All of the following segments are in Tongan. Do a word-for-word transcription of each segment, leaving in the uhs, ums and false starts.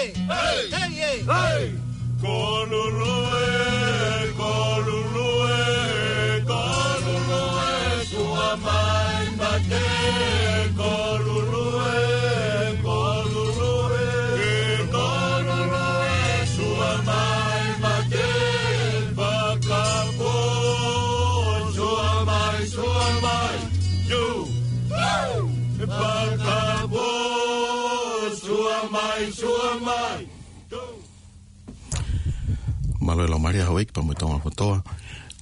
Hey! Hey! Hey! Kolulue, kolulue, kolulue, sua mai mate. Kolulue, kolulue, kolulue, sua mai mate. Fakapō, sua mai, sua mai. You. Fakapō, sua mai, sua mai. Mālō e laumālie ʻa houʻeiki pea mo e Tonga kotoa.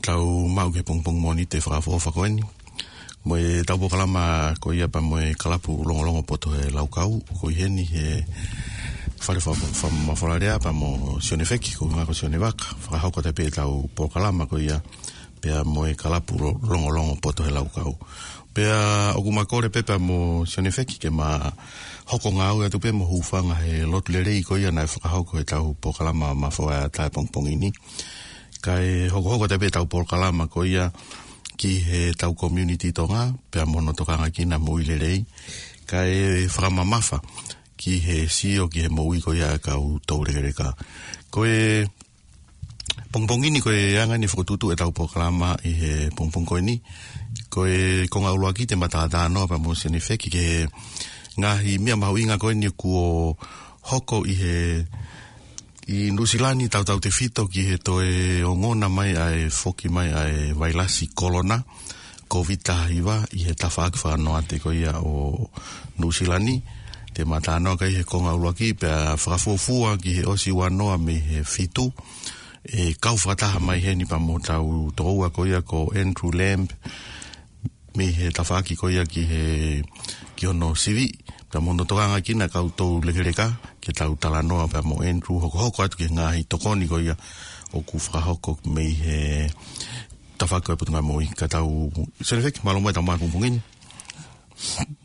Tau maʻu ki he pongipongi Mōnite fakaʻofoʻofa ko eni. Mo e tau polokalama ko ia pea mo e Kalapu Longolongo Poto he Laukau. Ko eni he fale fa-, fa-, mafola lea pea mo Sione Feki, ko e ʻuhinga ko Sione Vaka. Fakahoko atu pē tau polokalama ko ia pea mo e Kalapu Lo-, Longolongo Poto he Laukau. Pea ʻoku ma kole pē pea mo Sione Feki ke ma hoko ngāue atu pē mo hūfanga he lotu lelei ko ia naʻe fakahoko he tau polokalama mafola ʻa e pongipongi ni. Kae hokohoko atu pē tau polokalama ko ia ki he tau community Tonga, pea mo hono tokanga ki he moʻui lelei. Kae fakamamafa ki he sio ki he moʻui ko ia ʻa e kau toulekeleka. Ko e pongipongi ni ko e anga eni e fokotuʻutuʻu e tau polokalama ʻi he pongipongi ko eni. Ko e konga ʻuluaki te ma talanoa pea mo Sione Feki ki he ngaahi meʻa mahuʻinga ko eni kuo hoko ʻi he, ʻi Nuʻusila ni tautautefito ki he toe ongona mai ʻa e foki mai ʻa e vailasi kolona, Kōviti taha hiva ʻi he tafaʻaki fakanoate ko ia ʻo Nuʻusila ni. Te ma talanoa ki ai he konga ʻuluaki pea fakafuofua ki he ʻosi ua noa mei he fitu. ʻE kau fakataha mai heni pea mo hotau tokoua ko ia ko Andrew Lamb mei he tafaʻaki ko ia ki he, ki hono sivi. Pea mo hono tokanga ki he kau toulekeleka ke tau talanoa pea mo Andrew hokohoko atu ki he ngaahi tokoni ko ia ʻoku fakahoko mei he tafaʻaki ʻo e Potungāue Moʻui. Ka tau, Sione Feki, mālō muʻa e tau maʻu e pongipongi ni.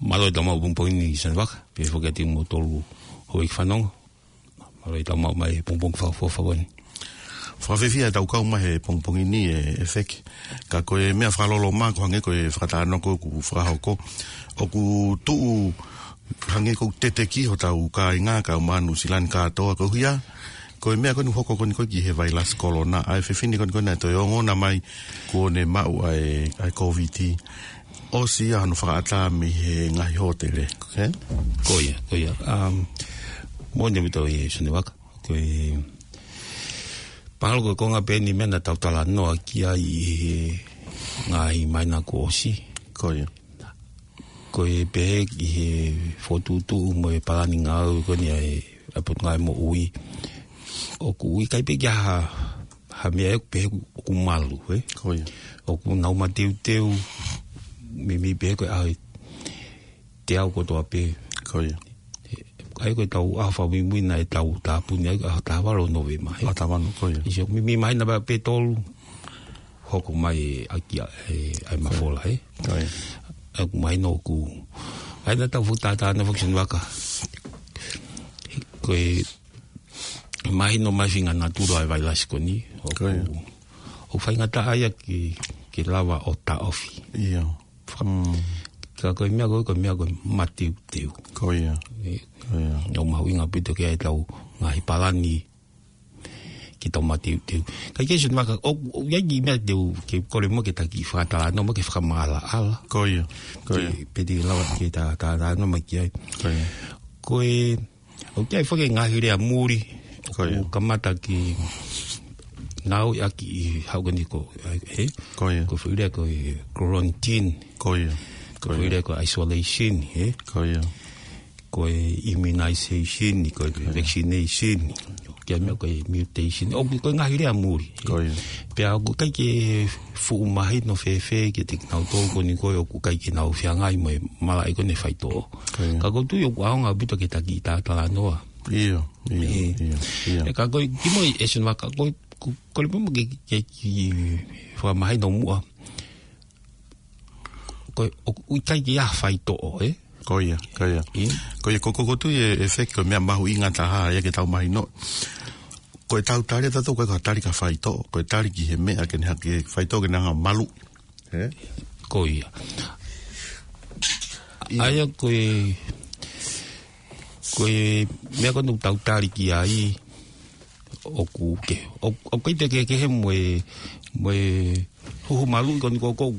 Mālō e tau maʻu e pongipongi ni Sione Vaka, pea foki atu kimoutolu houʻeiki fanongo. Mālō e tau maʻu mai e pongipongi fakaʻofoʻofa ko eni. Fakafiefia e tau kau mai he pongipongi ni ʻe, ʻe Feki. Ka ko e meʻa fakaloloma ko e hangē ko e fakatalanoa ko ē ʻoku fakahoko. ʻOku tuʻu hangē ʻoku teteki hotau kāinga kae ʻumaʻā Nuʻusila ni kātoa koeʻuhi ko e meʻa ko eni ʻoku hoko ko eni ko ē ki he vailasi kolona, ʻa e fefine ko eni ko ē naʻe toe ongona mai kuo ne maʻu ʻa e, ʻa e Kōviti. ʻOsi ia hono fakaʻatā mei he ngaahi hōtele. Ē? Ko ia, ko ia. Um, moʻoni ʻaupito ia Sione Vaka. Ko e palo ko e konga pē eni meʻa naʻa tau talanoa ki ai ʻi he ngaahi māhina kuo ʻosi. Ko ia. Ko e pehē ki he fokotuʻutuʻu mo e palani ngāue ko eni ʻa e, ʻa e Potungāue Moʻui. ʻOku ʻikai pē ke ʻi ai ha, ha meʻa ʻe pehē ʻoku malu, ē? Ko ia. ʻOku nau mateuteu, meimei pehē ko e ʻaho ʻe teau kotoa pē. Ko ia. ʻA ia ko e tau ʻaho fakamuimui naʻe tau tāpuni ai, ʻaho taha valu ʻo Nōvema, ē? ʻAho taha valu, ko ia. ʻI he meimei māhina pē tolu, hoko mai e ʻaki ʻa e, ʻa e mafola, ē? Ko ia. ʻA ia ʻoku mahino ʻoku, ʻa ia naʻa tau fuʻu talanoa foki Sione Vaka. Ko e mahino mai e faʻahinga natula ʻo e vailasi ko eni. ʻOku, ko ia. ʻOku faingataʻa ia ke, ke lava ʻo taʻofi. ʻIo. Mm. Ka ko e meʻa ko ē, ko e meʻa ko e mateuteu. Ko ia. ʻE, ko ia. ʻOku mahuʻinga ʻaupito ke ʻi ai e tau ngaahi palani ke tau mateuteu. Ka ʻi he Sione Vaka, ʻoku, ʻoku ʻi ai e kiʻi meʻa te u, ke kole muʻa ke ta kiʻi fakatalanoa muʻa ke fakamaʻalaʻala. Ko ia, ko ia. Ke, pe te lava ke ta, ta, talanoa mai ki ai. Ko ia. Ko e, ʻoku ʻi ai foki e ngaahi lea muli, ko ia. ʻOku kamata ke ngāueʻaki ʻi he ʻaho ko eni ko, ē? Ko ia. Ko e foʻi lea ko e quarantine. Ko ia. Ko e foʻi lea ko e isolation, ē? Ko ia. Ko e immunization, ko e vaccination, ko e meʻa ko e mutation. ʻOku, ko e ngaahi lea muli. Ko ia. Pea ʻoku ʻikai ke fuʻu mahino fēfē kiate kinautolu ko eni ko ē ʻoku ʻikai ke nau feangai mo e malaʻe ko eni faitoʻo. Ko ia. Ka ʻoku ou tui ʻoku ʻaonga ʻaupito ke ta kiʻi talatalanoa. ʻIo, ʻio, ʻIo. ʻio, ʻio. ʻE ka ko e, kimuʻa ʻe Sione Vaka, ko e, ko, kole pē muʻa ke, ke, ke fakamahino muʻa. Ko e, ʻoku ʻikai ke ʻi ai ha faitoʻo, ē? Ko ia, ko ia. ʻE? Ko ia, ko, ko, ʻoku ou tui ʻe, ʻe Feki ko e meʻa mahuʻinga taha ia ke tau mahino. Ko e tau tali ʻatautolu ʻoku ʻikai ko ha tali ki ha faitoʻo, ko e tali ki he meʻa ke ne hanga, ke faitoʻo ke ne hanga ʻo malu. Ē? Ko ia. ʻIo. ʻA ia ko e, Ko e meʻa ko eni ʻoku tau tali ki ai, ʻoku ke, ʻo, ʻoku ʻikai te ke kehe mo e, mo e huhu maluʻi ko eni ko, ko,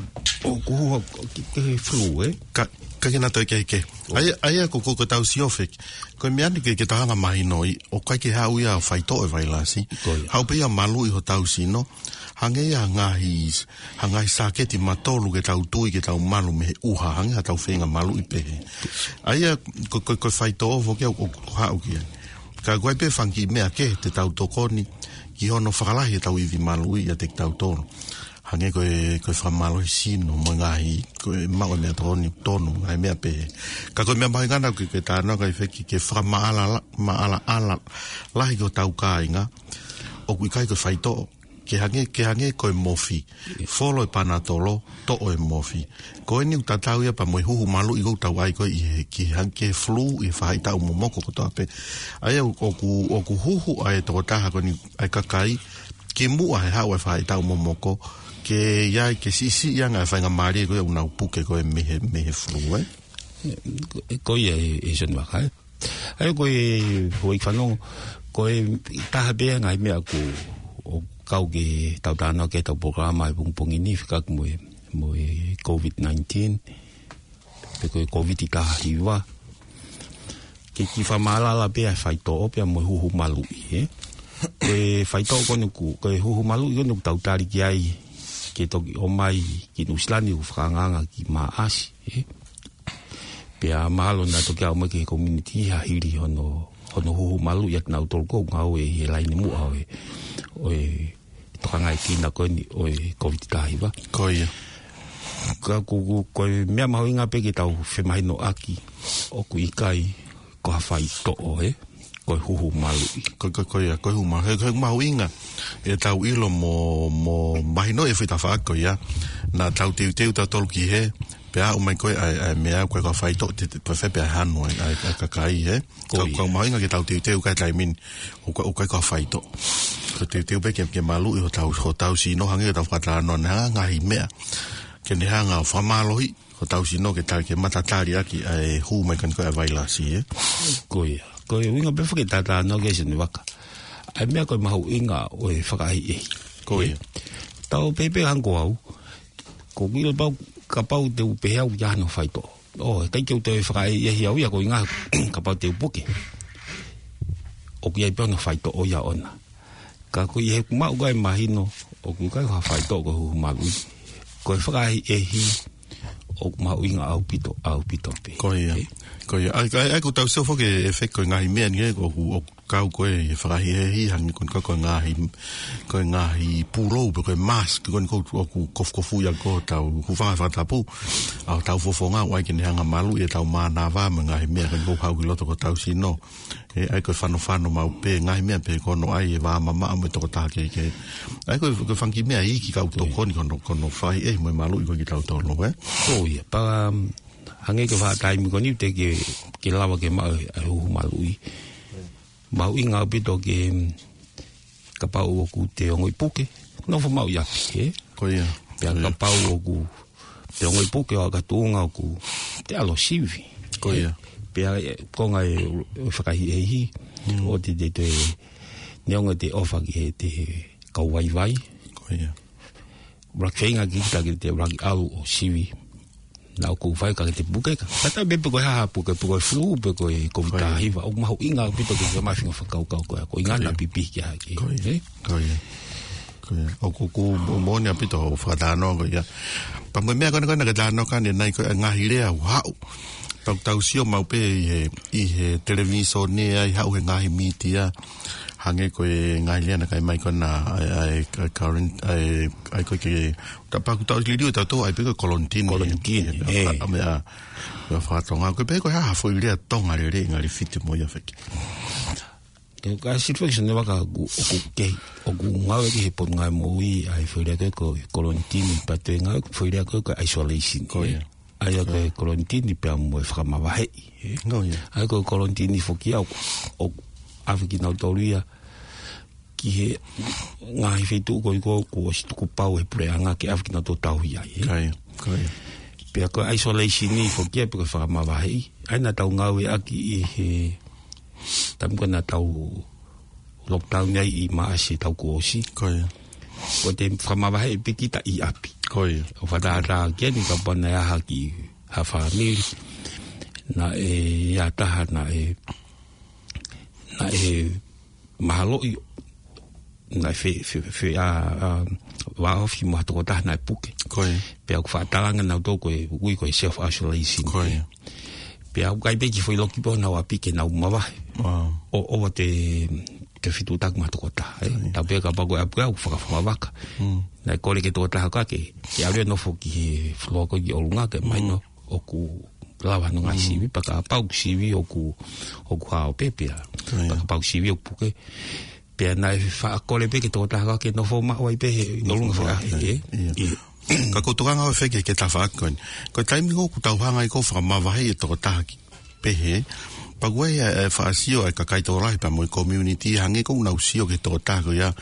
ʻoku huhu ke, ke flu, ē? Ka, ka ke na toe ke, ke. ʻAi, ʻai ko, ko, ko tau sio feki. Ko e meʻa ni ke, ke tau hanga mahinoʻi, ʻoku ʻikai ke haʻu ia ʻo faitoʻo e vailasi. Ko ia. Haʻu pē ia maluʻi hotau sino. Hangē ia ha ngaahi, ha ngaahi sāketi matolu ke tau tui, ke tau malu mei he ʻuha, hangē ha tau feinga maluʻi pehē. ʻA ia, ko, ko, ko e faitoʻo foki ʻoku, ʻoku haʻu ki ai. Ka ko e pē fanga kiʻi meʻa kehe te tau tokoni, ki hono fakalahi e tau ivi maluʻi ʻiate kitautolu. Hangē ko e, ko e fakamālohi sino, mo e ngaahi, ko e maʻu e meʻatokoni tonu, ngaahi meʻa pehē. Ka ko e meʻa mahuʻinga ʻaupito ke, ke tānaki ai feki, ke fakamaʻalaʻala, maʻalaʻala, lahi ki hotau kāinga, ʻoku ʻikai ko e faitoʻo. Ke hangē, ke hangē ko e mofi. Folo e panatolo, toʻo e mofi. Ko eni ʻoku tatau ia pea mo e huhu maluʻi ʻoku tau ʻai ko ē ʻi he, ki hangē ke flu ʻi he faʻahitaʻu momoko kotoa pē. ʻA ia ʻoku, ʻoku huhu ʻa e tokotaha ko eni ʻa e kakai, kimuʻa he haʻu e faʻahitaʻu momoko, ke ʻi ai ke siʻisiʻi ange e faingamālie ko ē ʻoku nau puke ko ē mei he, mei he flu, ē? Ko ia e, e Sione Vaka, ē? ʻA ia ko e, hoi fanongo, ko e taha pē ia e ngaahi meʻa ʻoku, ʻoku kau ke tau tānaki ki ai ʻetau polokalama he pongipongi ni, fekauʻaki mo e, mo e COVID nineteen, pe ko e COVID taha hiva. Ke kiʻi fakamaʻalaʻala pē ʻa e faitoʻo pea mo e huhu maluʻi, ē? Ko e faitoʻo ko eni ʻoku, ko e huhu maluʻi ko eni ʻoku tau tali ki ai, ke toki ʻomai ki Nuʻusila ni ʻoku fakaangaanga ki Maʻasi, ē? Pea mahalo naʻa toki ʻomai ki he community ha hili hono, hono huhu maluʻi ʻa kinautolu ʻoku ngāue ʻi he laine muʻa ʻo e, ʻo e tokangaʻi kina ko eni ʻo e COVID taha hiva. Ko ia. Ka ko, ko, ko e meʻa mahuʻinga pē ke tau femahinoʻaki ʻoku ʻikai ko ha faitoʻo, ē? Ko e huhu maluʻi. Ko, ko, ko ia, ko e huhu maluʻi. He, he mahuʻinga ʻetau ʻilo mo, mo mahinoʻi e foʻi tafaʻaki ko ia. Naʻa tau teuteu tautolu ki hē, pea aʻu mai ko ē ʻa e, ʻa e meʻa ko ē ko e faitoʻo, te, te, ko e fē pē ʻa e hanu ʻa e, ʻa e, ʻa e kakai, ē? Ko ia. Ka, ka mahuʻinga ke tau teuteu ki ai he taimi ni, ʻoku ʻikai, ʻoku ʻikai ko ha faitoʻo. Ko e teuteu pē ke, ke maluʻi hotau, hotau sino hangē ko ʻetau fakatalanoa ni, ha ngaahi meʻa ke ne hanga ʻo fakamālohiʻi hotau sino ke tali, ke matatali ʻaki ʻa e hū mai ko eni ko ē ʻa e vailasi, ē? Ko ia. Ko e ʻuhinga pē foki e talanoa ko ē Sione Vaka, ʻa e meʻa ko e mahuʻinga ʻo e fakaʻehiʻehi. Ko ia. Tau pehē pē hangē ko au, ʻoku ou ʻilo pau, kapau te u pehē au ʻoku ʻi ai hano faitoʻo. ʻO, ʻikai ke u toe fakaʻehiʻehi au ia koeʻuhinga kapau te u puke, ʻoku ʻi ai pē hono faitoʻo ia ʻoʻona. Ka ko e ʻuhinga ʻoku ou mahino, ʻoku ʻikai ko ha faitoʻo ko e huhu maluʻi. Ko e fakaʻehiʻehi ʻoku mahuʻinga ʻaupito, ʻaupito pē. Ko ia. Ē? Ko ia. ʻAi, ʻai, ʻai, ʻoku tau sio foki e fē ko e ngaahi meʻa ni ē, ʻoku, ʻoku kau ko ē he fakaʻehiʻehi, hangē ko eni ko e, ko e ngaahi, ko e ngaahi pulou, pe ko e mask, ko eni ʻoku, ʻoku kofukofuʻi ʻaki ko ē hotau hūfanga he fakatapu, ʻa hotau fofonga, ʻoku ʻai ke ne hanga ʻo maluʻi ʻetau mānava, mo e ngaahi meʻa ko eni ʻoku haʻu ki loto ko ē hotau sino. Ē, ʻai ko e fanofano maʻu pē, ngaahi meʻa pē ko hono ʻai e vā mamaʻo mo e tokotaha kehekehe. ʻAi ko e, ko e fanga kiʻi meʻa iiki ke tau tokoni ki hono, ki hono fakaʻehiʻehi mo e maluʻi ko ē kitautolu, ē? Ko ia, pea, um, hangē ko e faʻa taimi ko eni teʻeki ke, ke lava ke maʻu e, e huhu maluʻi. Mahuʻinga ʻaupito ke, um, kapau ʻoku te ongoʻi puke, nofo maʻu ʻi ʻapi, ē? Ko ia. Pea kapau ʻoku te ongoʻi puke ʻo aʻu ki ha tuʻunga ʻoku te ʻalu ʻo sivi. Ko ia. Pea, ē, konga e, e fakaʻehiʻehi, ʻoua te te, te, neongo ʻete ʻofa ki he, te he kau vaivai. Ko ia. ʻUluaki feinga kita ke te ʻuluaki ʻalu ʻo sivi. Naʻa ʻoku fai ka ke te puke ka. Tata pe pe ko e hā ha puke, pe ko e flu, pe ko e COVID taha hiva. ʻOku mahuʻinga ʻaupito ke te mafi ngaahi fakakaukau ko ia. Ko e ʻuhinga naʻa pipihi ki ai. Ko ia. Ē? Ko ia. Ko ia. ʻOku, ʻoku mo-, moʻoni ʻaupito hoʻo fakatalanoa ko ia. Pea mo e meʻa ko ena ko ena ke talanoa ki ai ʻanenai ko e ngaahi lea ʻoku haʻu. Pea ʻoku tau sio maʻu pē ʻi he, ʻi he televīsone ʻa ia ʻoku haʻu he ngaahi mītia. Hangē ko e ngaahi lea naʻe ʻomai ko ena ʻa e, ʻa e, ʻa e current, ʻa e, ʻa e ko e ke, ta pea ʻoku tau liliu ʻe tautolu ʻa e pē ko e kolonitini. Kolonitini, ē. ʻA e meʻa, meʻa fakatonga. Ko e pehē ko e hā ha foʻi lea Tonga lelei ngali fiti mo ia feki. Ke ka siri faki Sione Vaka ʻoku, ʻoku kei, ʻoku ngāueʻaki he Potungāue Moʻui ʻa e foʻi lea ko e ko e kolonitini, pea toe ngāueʻaki foʻi lea ko e ko e isolation. Ko ia. ʻA ia ko e kolonitini pea mo e fakamavaheʻi, ē? Ko ia. ʻA ia ko e kolonitini foki ia ʻoku, ʻoku ʻave kinautolu ia ki he ngaahi feituʻu ko ē ʻoku ʻosi tukupau he puleʻanga ke ʻave kinautolu ʻo tauhi ai, ē? Ko ia, ko ia. Pea ko e isolation ni foki ia pe ko e fakamavaheʻi. ʻA ia naʻa tau ngāueʻaki ʻi he Taimi ko ē naʻa tau lockdown ai ʻi Maʻasi taʻu kuo ʻosi. Ko ia. Ko e fakamavaheʻi pē kita ʻi ʻapi. Ko ia. ʻO fakatātā ki ai ni kapau naʻe ʻalu ha kiʻi ha fāmili. Naʻe ʻi ai ha taha naʻe, naʻe mahaloʻi naʻe fe, fe, fe, ʻa, ʻa, vāofi mo ha tokotaha naʻe puke. Ko ia. Pea ʻoku fakatalanga nautolu ko e ui ko e self isolation. Ko ia. Pea ʻoku ʻikai pē ke foʻi loki pē honau ʻapi ke nau mavahe. Wow. ʻO, ʻoua te, te fetuʻutaki mo ha tokotaha, ē. Ko ia. Tapu pē kapau ko e ʻapi ko ē ʻoku fakafuavaka. Mm. Naʻe kole ki he tokotaha ko ē ke, ke ʻalu ʻo nofo ki he floor ko ē ki ʻolunga ke mahino ʻoku lava hono ngaahi sivi, pea kapau ʻoku sivi ʻoku, ʻoku hao pē pea. Ko ia. Pea kapau ʻoku sivi ʻoku puke. Pea naʻe faʻa kole pē ki he tokotaha ko ē ke nofo maʻu ai pē he ʻolunga faʻa, ē? Ia. Ia. Ka ʻoku ou tokanga ʻaupito ki he, ki he tafaʻaki ko eni. Ko e taimi ko ē ʻoku tau hanga ai ko ē ʻo fakamavaheʻi e tokotaha ki, pehē. Pea ko e, e, faʻa sio ʻa e kakai tokolahi pea mo e community hangē ko ē ʻoku nau sio ki he tokotaha ko ia.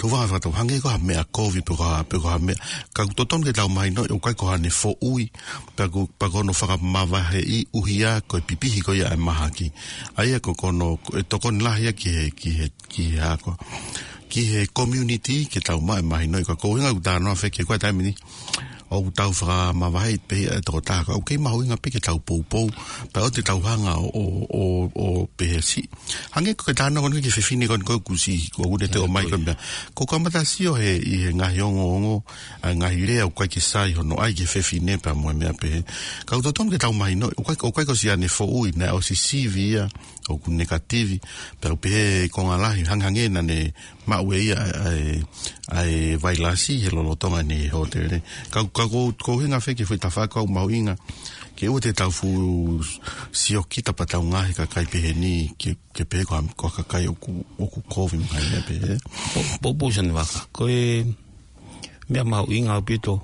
Tau hanga fakatau hangē ko ha meʻa kovi pe ko ha, pe ko ha meʻa. Ka ʻoku totonu ke tau mahinoʻi ʻoku ʻikai ko haʻane foʻui, pea ko, pea ko hono fakamavaheʻi ʻuhia ko e pipihi ko ia e mahaki. ʻA ia ko, ko hono, ko e tokoni lahi ia ki he, ki he, ki he ako. Ki he community ke tau maʻu e mahinoʻi ka ko e ʻuhinga ʻoku ou talanoa fekauʻaki ko e taimi ni. ʻOku tau fakamavaheʻi pē ia e tokotaha ka ʻoku kei mahuʻinga pē ke tau poupou. Pea ʻoua te tau hanga ʻo, ʻo, ʻo, ʻo pehē siʻi. Hangē ko e talanoa ko eni ki he fefine ko eni ko ē kuo ʻosi, ko ʻoku ne toe ō mai ko e meʻa. Ko e kamata sio he, ʻi he ngaahi ongoongo, ʻa e ngaahi lea ʻoku ʻikai ke sai hono ʻai ki he fefine pea mo e meʻa pehē. Ka ʻoku totonu ke tau mahinoʻi, ʻoku ʻikai, ʻoku ʻikai ko siʻane foʻui, naʻe ʻosi sivi ia, ʻoku nekativi, pea ʻoku pehē konga lahi, hangehangē naʻa ne maʻu ʻe ia, ʻa e, ʻa e vailasi he lolotonga ʻene hōtele. Ka, ka ko, ko e ʻuhinga fekauʻaki ki he foʻi tafaʻaki ʻoku mahuʻinga, ke ʻoua te tau fuʻu sio kita pea tau ngaahi kakai pehē ni, ke, ke pehē ko ha, ko ha kakai ʻoku, ʻoku kovi mo e meʻa pehē. Po, po, po sani vaka. Ko e meʻa mahuʻinga ʻaupito,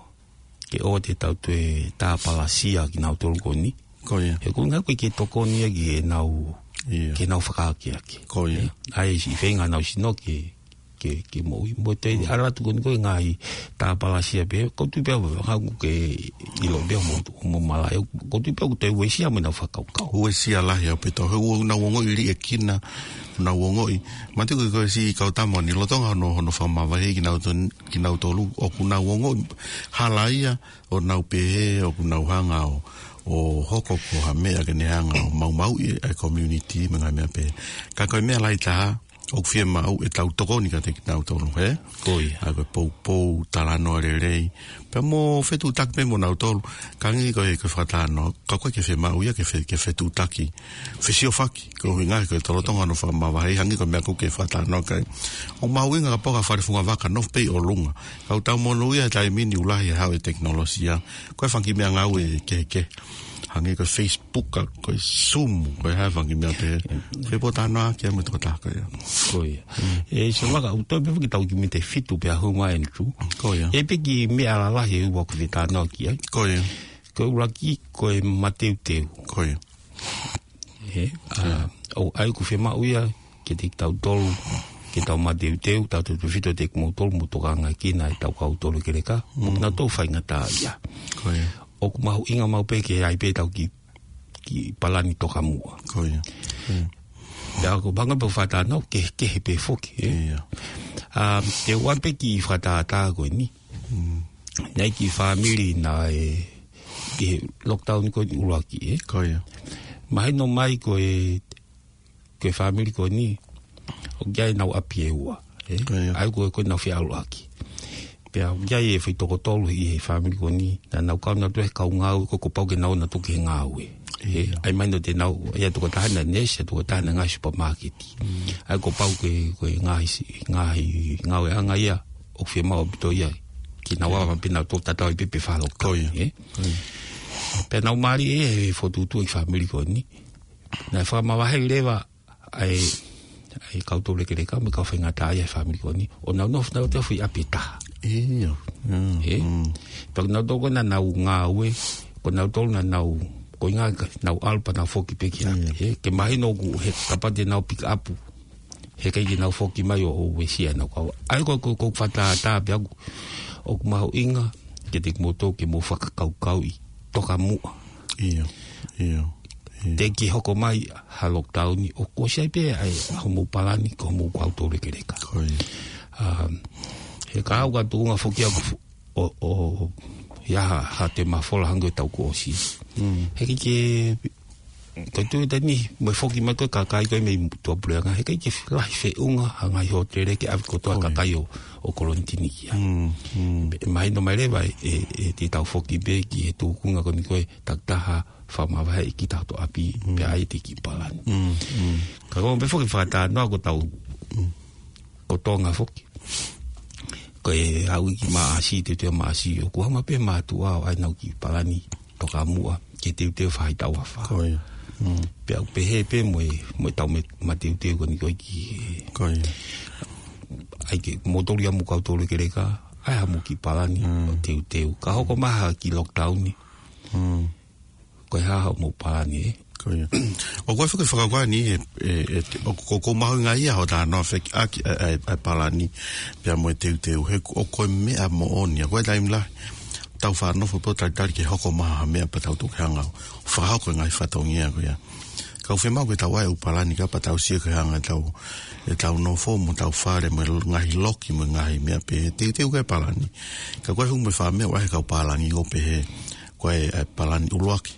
ke ʻoua te tau toe tāpalasia kinautolu ko eni. Ko ia. He ko e ʻuhinga ko e ke tokoni ia ki heʻenau, ia, ke nau fakaakeake. Ko ia. ʻA e siʻi feinga ʻenau sino ke, ke, ke moʻui. Mo e te, mm, ʻalu atu ko eni ko e ngaahi tāpalasia pē, ʻoku ou tui pē au, hangē ʻoku ke ʻilo pē mo, mo malaʻe, ʻoku ou tui pē au ʻoku toe uesia mo ʻenau fakakaukau. Uesia lahi ʻaupito, he ʻoku nau ongoʻi liʻekina, nau ongoʻi. Manatuʻi ko e, ko e siʻi kau tama ni, lolotonga hono, hono fakamavaheʻi kinautolu, kinautolu, ʻoku nau ongoʻi hala ia, ʻo nau pehē, ʻoku nau hanga ʻo, ʻo hoko ko ha meʻa ke ne hanga ʻo maumauʻi e community, mo e ngaahi meʻa pehē. Ka ko e meʻa lahi taha, ʻoku fiemaʻu ʻetau tokoni kiate kinautolu, hē? Ko ia. ʻA ko e poupou, talanoa lelei. Pea mo fetuʻutaki pē mo nautolu, ka hangē ko e, ko e fakatalanoa, ka ʻoku ʻikai ke fiemaʻu ia ke fe-, ke fetuʻutaki. Fesiofaki. Ko e ʻuhinga ko e lolotonga hono fakamavaheʻi hangē ko e meʻa ʻoku ke fakatalanoa ki ai. ʻOku mahuʻinga kapau ko ha fale fungavaka nofo pē ʻi ʻolunga. Ka ʻoku tau monūʻia he taimi ni ʻoku lahi e haʻu e tekinolosia. Ko e fanga kiʻi meʻangāue kehekehe. Hangē ko e Facebook, ka ko e Zoom, ko e hā e fanga kiʻi meʻa pehē. Ko e pōtalanoa ki ai mo e tokotaha ko ia. Ko ia. Mm. ʻE, so maka, ʻoku toe pē foki tau kiʻi miniti ʻe fitu pea hū mai eni tu. Ko ia. ʻE pē kiʻi meʻa lalahi ʻe ua ʻoku ou fie talanoa ki ai. Ko ia. Ko e ʻuluaki, ko e mateuteu. Ko ia. Ē, ʻa, ʻoku ʻai ʻoku fiemaʻu ia, kiate kitautolu, ke tau mateuteu, tautautefito kiate kimoutolu, mou tokangaekina ʻetau kau tolo keleka, mo kinautolu faingataʻaʻia. Ko ia. ʻOku mahuʻinga maʻu pē ke ʻai pē ʻetau kiʻi, kiʻi palani tokamuʻa. Ko ia. Mm. Pea ko e anga pē ʻoku fakatalanoa, kehekehe pē foki, ē? Ia. ʻA, te u ʻoange pē kiʻi fakatātā ko eni. Mm. Naʻe ʻi ai e kiʻi fāmili naʻe, ʻi he lockdown ko eni ʻuluaki, ē? Ko ia. Mahino mai ko e, ko e fāmili ko eni, ʻoku ʻi ai ʻenau ʻapi ʻe ua, ē? Ko ia. ʻA ia ko e, ko ʻenau fie ʻalu ʻaki. Pea ʻoku ʻi ai e foʻi toko tolu ʻi he fāmili ko eni, naʻa nau kau nautolu he kau ngāue, ko e kuo pau ke nau ō nautolu ki he ngāue. Ē, ia. ʻA ia mahino te nau, ʻa ia tokotaha naʻe neesi, tokotaha naʻe ngāue supermarket. Mm. ʻA ia kuo pau ke, ko e ngaahi si-, ngaahi ngāueʻanga ia, ʻoku fiemaʻu ʻaupito ia. Ke nau ava pē nautolu tatau ai pē pe falo. Ko ia. Ē? Ko ia. Pea nau mālie ʻi he fokotuʻutuʻu ʻa e fāmili ko eni. Naʻe fakamavaheʻi leva ʻa e, ʻa e kau tolo keleka mo e kau faingataʻaʻia ʻa e fāmili ko eni. ʻO nau nofo nautolu he foʻi ʻapi ʻe taha. Ia. Mm, ē? Mm. Pea ko nautolu ko ē naʻa nau ngāue, ko nautolu naʻa nau, ko e ʻuhinga ke nau ʻalu pea nau foki pē ki ai. Ia. Ē, ke mahino ʻoku he kapau te nau pick up. He ʻikai ke nau foki mai ʻo, ʻo uesia ʻenau kau. ʻA ia ko, ko, ko e fakatātā pē ʻaʻaku, ʻoku mahuʻinga, kiate kimoutolu ke mou fakakaukauʻi tokamuʻa. Ia, ia. Te ke hoko mai ha lockdown ʻoku ʻosi ai pē ʻa e, ʻa hoʻomou palani, ko hoʻomou kau toulekeleka. Ko ia. Um, he ka au ka tuʻunga foki au fu-, ʻo, ʻo, ʻi ai ha, ha toe mafola hangē ko e taʻu kuo ʻosi. Mm. He ʻikai ke, ko e tuʻu ʻi he taimi ni, mo e foki mai ko ē kakai ko ē mei tuʻapuleʻanga, he ʻikai ke lahi feʻunga ha ngaahi hōtele ke ʻave kotoa Ko ia. kakai ʻo, ʻo kolonitini ki ai. Mm, mm. Pea mahino mai leva ʻe, ʻe, ʻe te tau foki pē ki he tūkunga ko eni ko e takitaha fakamavaheʻi kita hoto ʻapi, Mm. pea ʻai ʻete kiʻi palani. Mm, mm. Ka ko e meʻa foki fakatalanoa ko ʻetau, Mm. ko Tonga foki. Ko e ʻaho ʻi Maʻasi, teuteu Maʻasi, ʻoku hanga pē mātuʻa ʻo ʻai ʻenau kiʻi palani tokamuʻa, ke teuteu faʻahitaʻu afā. Ko ia. Mm. Pea ʻoku pehē pē mo e, mo ʻetau me-, mateuteu ko eni ko ē ki he Ko ia. ʻAi ke mou toli ʻa hoʻomou kau toulekeleka, ʻai haʻamou kiʻi palani Mm. ʻo teuteu. Ka hoko mai ha kiʻi lockdown ni. Mm. Ko e hā haʻamou palani, ē? Ko ia. ʻOku ʻi ai foki e fakakaukau ni, ʻe, ʻe, ʻe, ʻoku, ʻoku mahuʻinga ia hoʻo talanoa fekauʻaki ʻa e, ʻa e, ʻa e palani, pea mo e teuteu, he ʻoku, ʻoku ko e meʻa moʻoni, ʻa ko e taimi lahi, tau faʻa nofo pē ʻo talitali ke hoko mai ha meʻa pea tau toki hanga ʻo fakahoko e ngaahi fatongia ko ia. Ka ʻoku fiemaʻu ke tau ʻai ʻū palani ka pea tau sio ki he anga ʻetau, ʻetau nofo mo ʻetau fale mo e ngaahi loki mo e ngaahi meʻa pehē. Teuteu ki he palani. Ka ko e hū mo e fā meʻa ʻoku ʻi ai he kau palani ʻoku pehē, ko e, ʻa e palani ʻuluaki.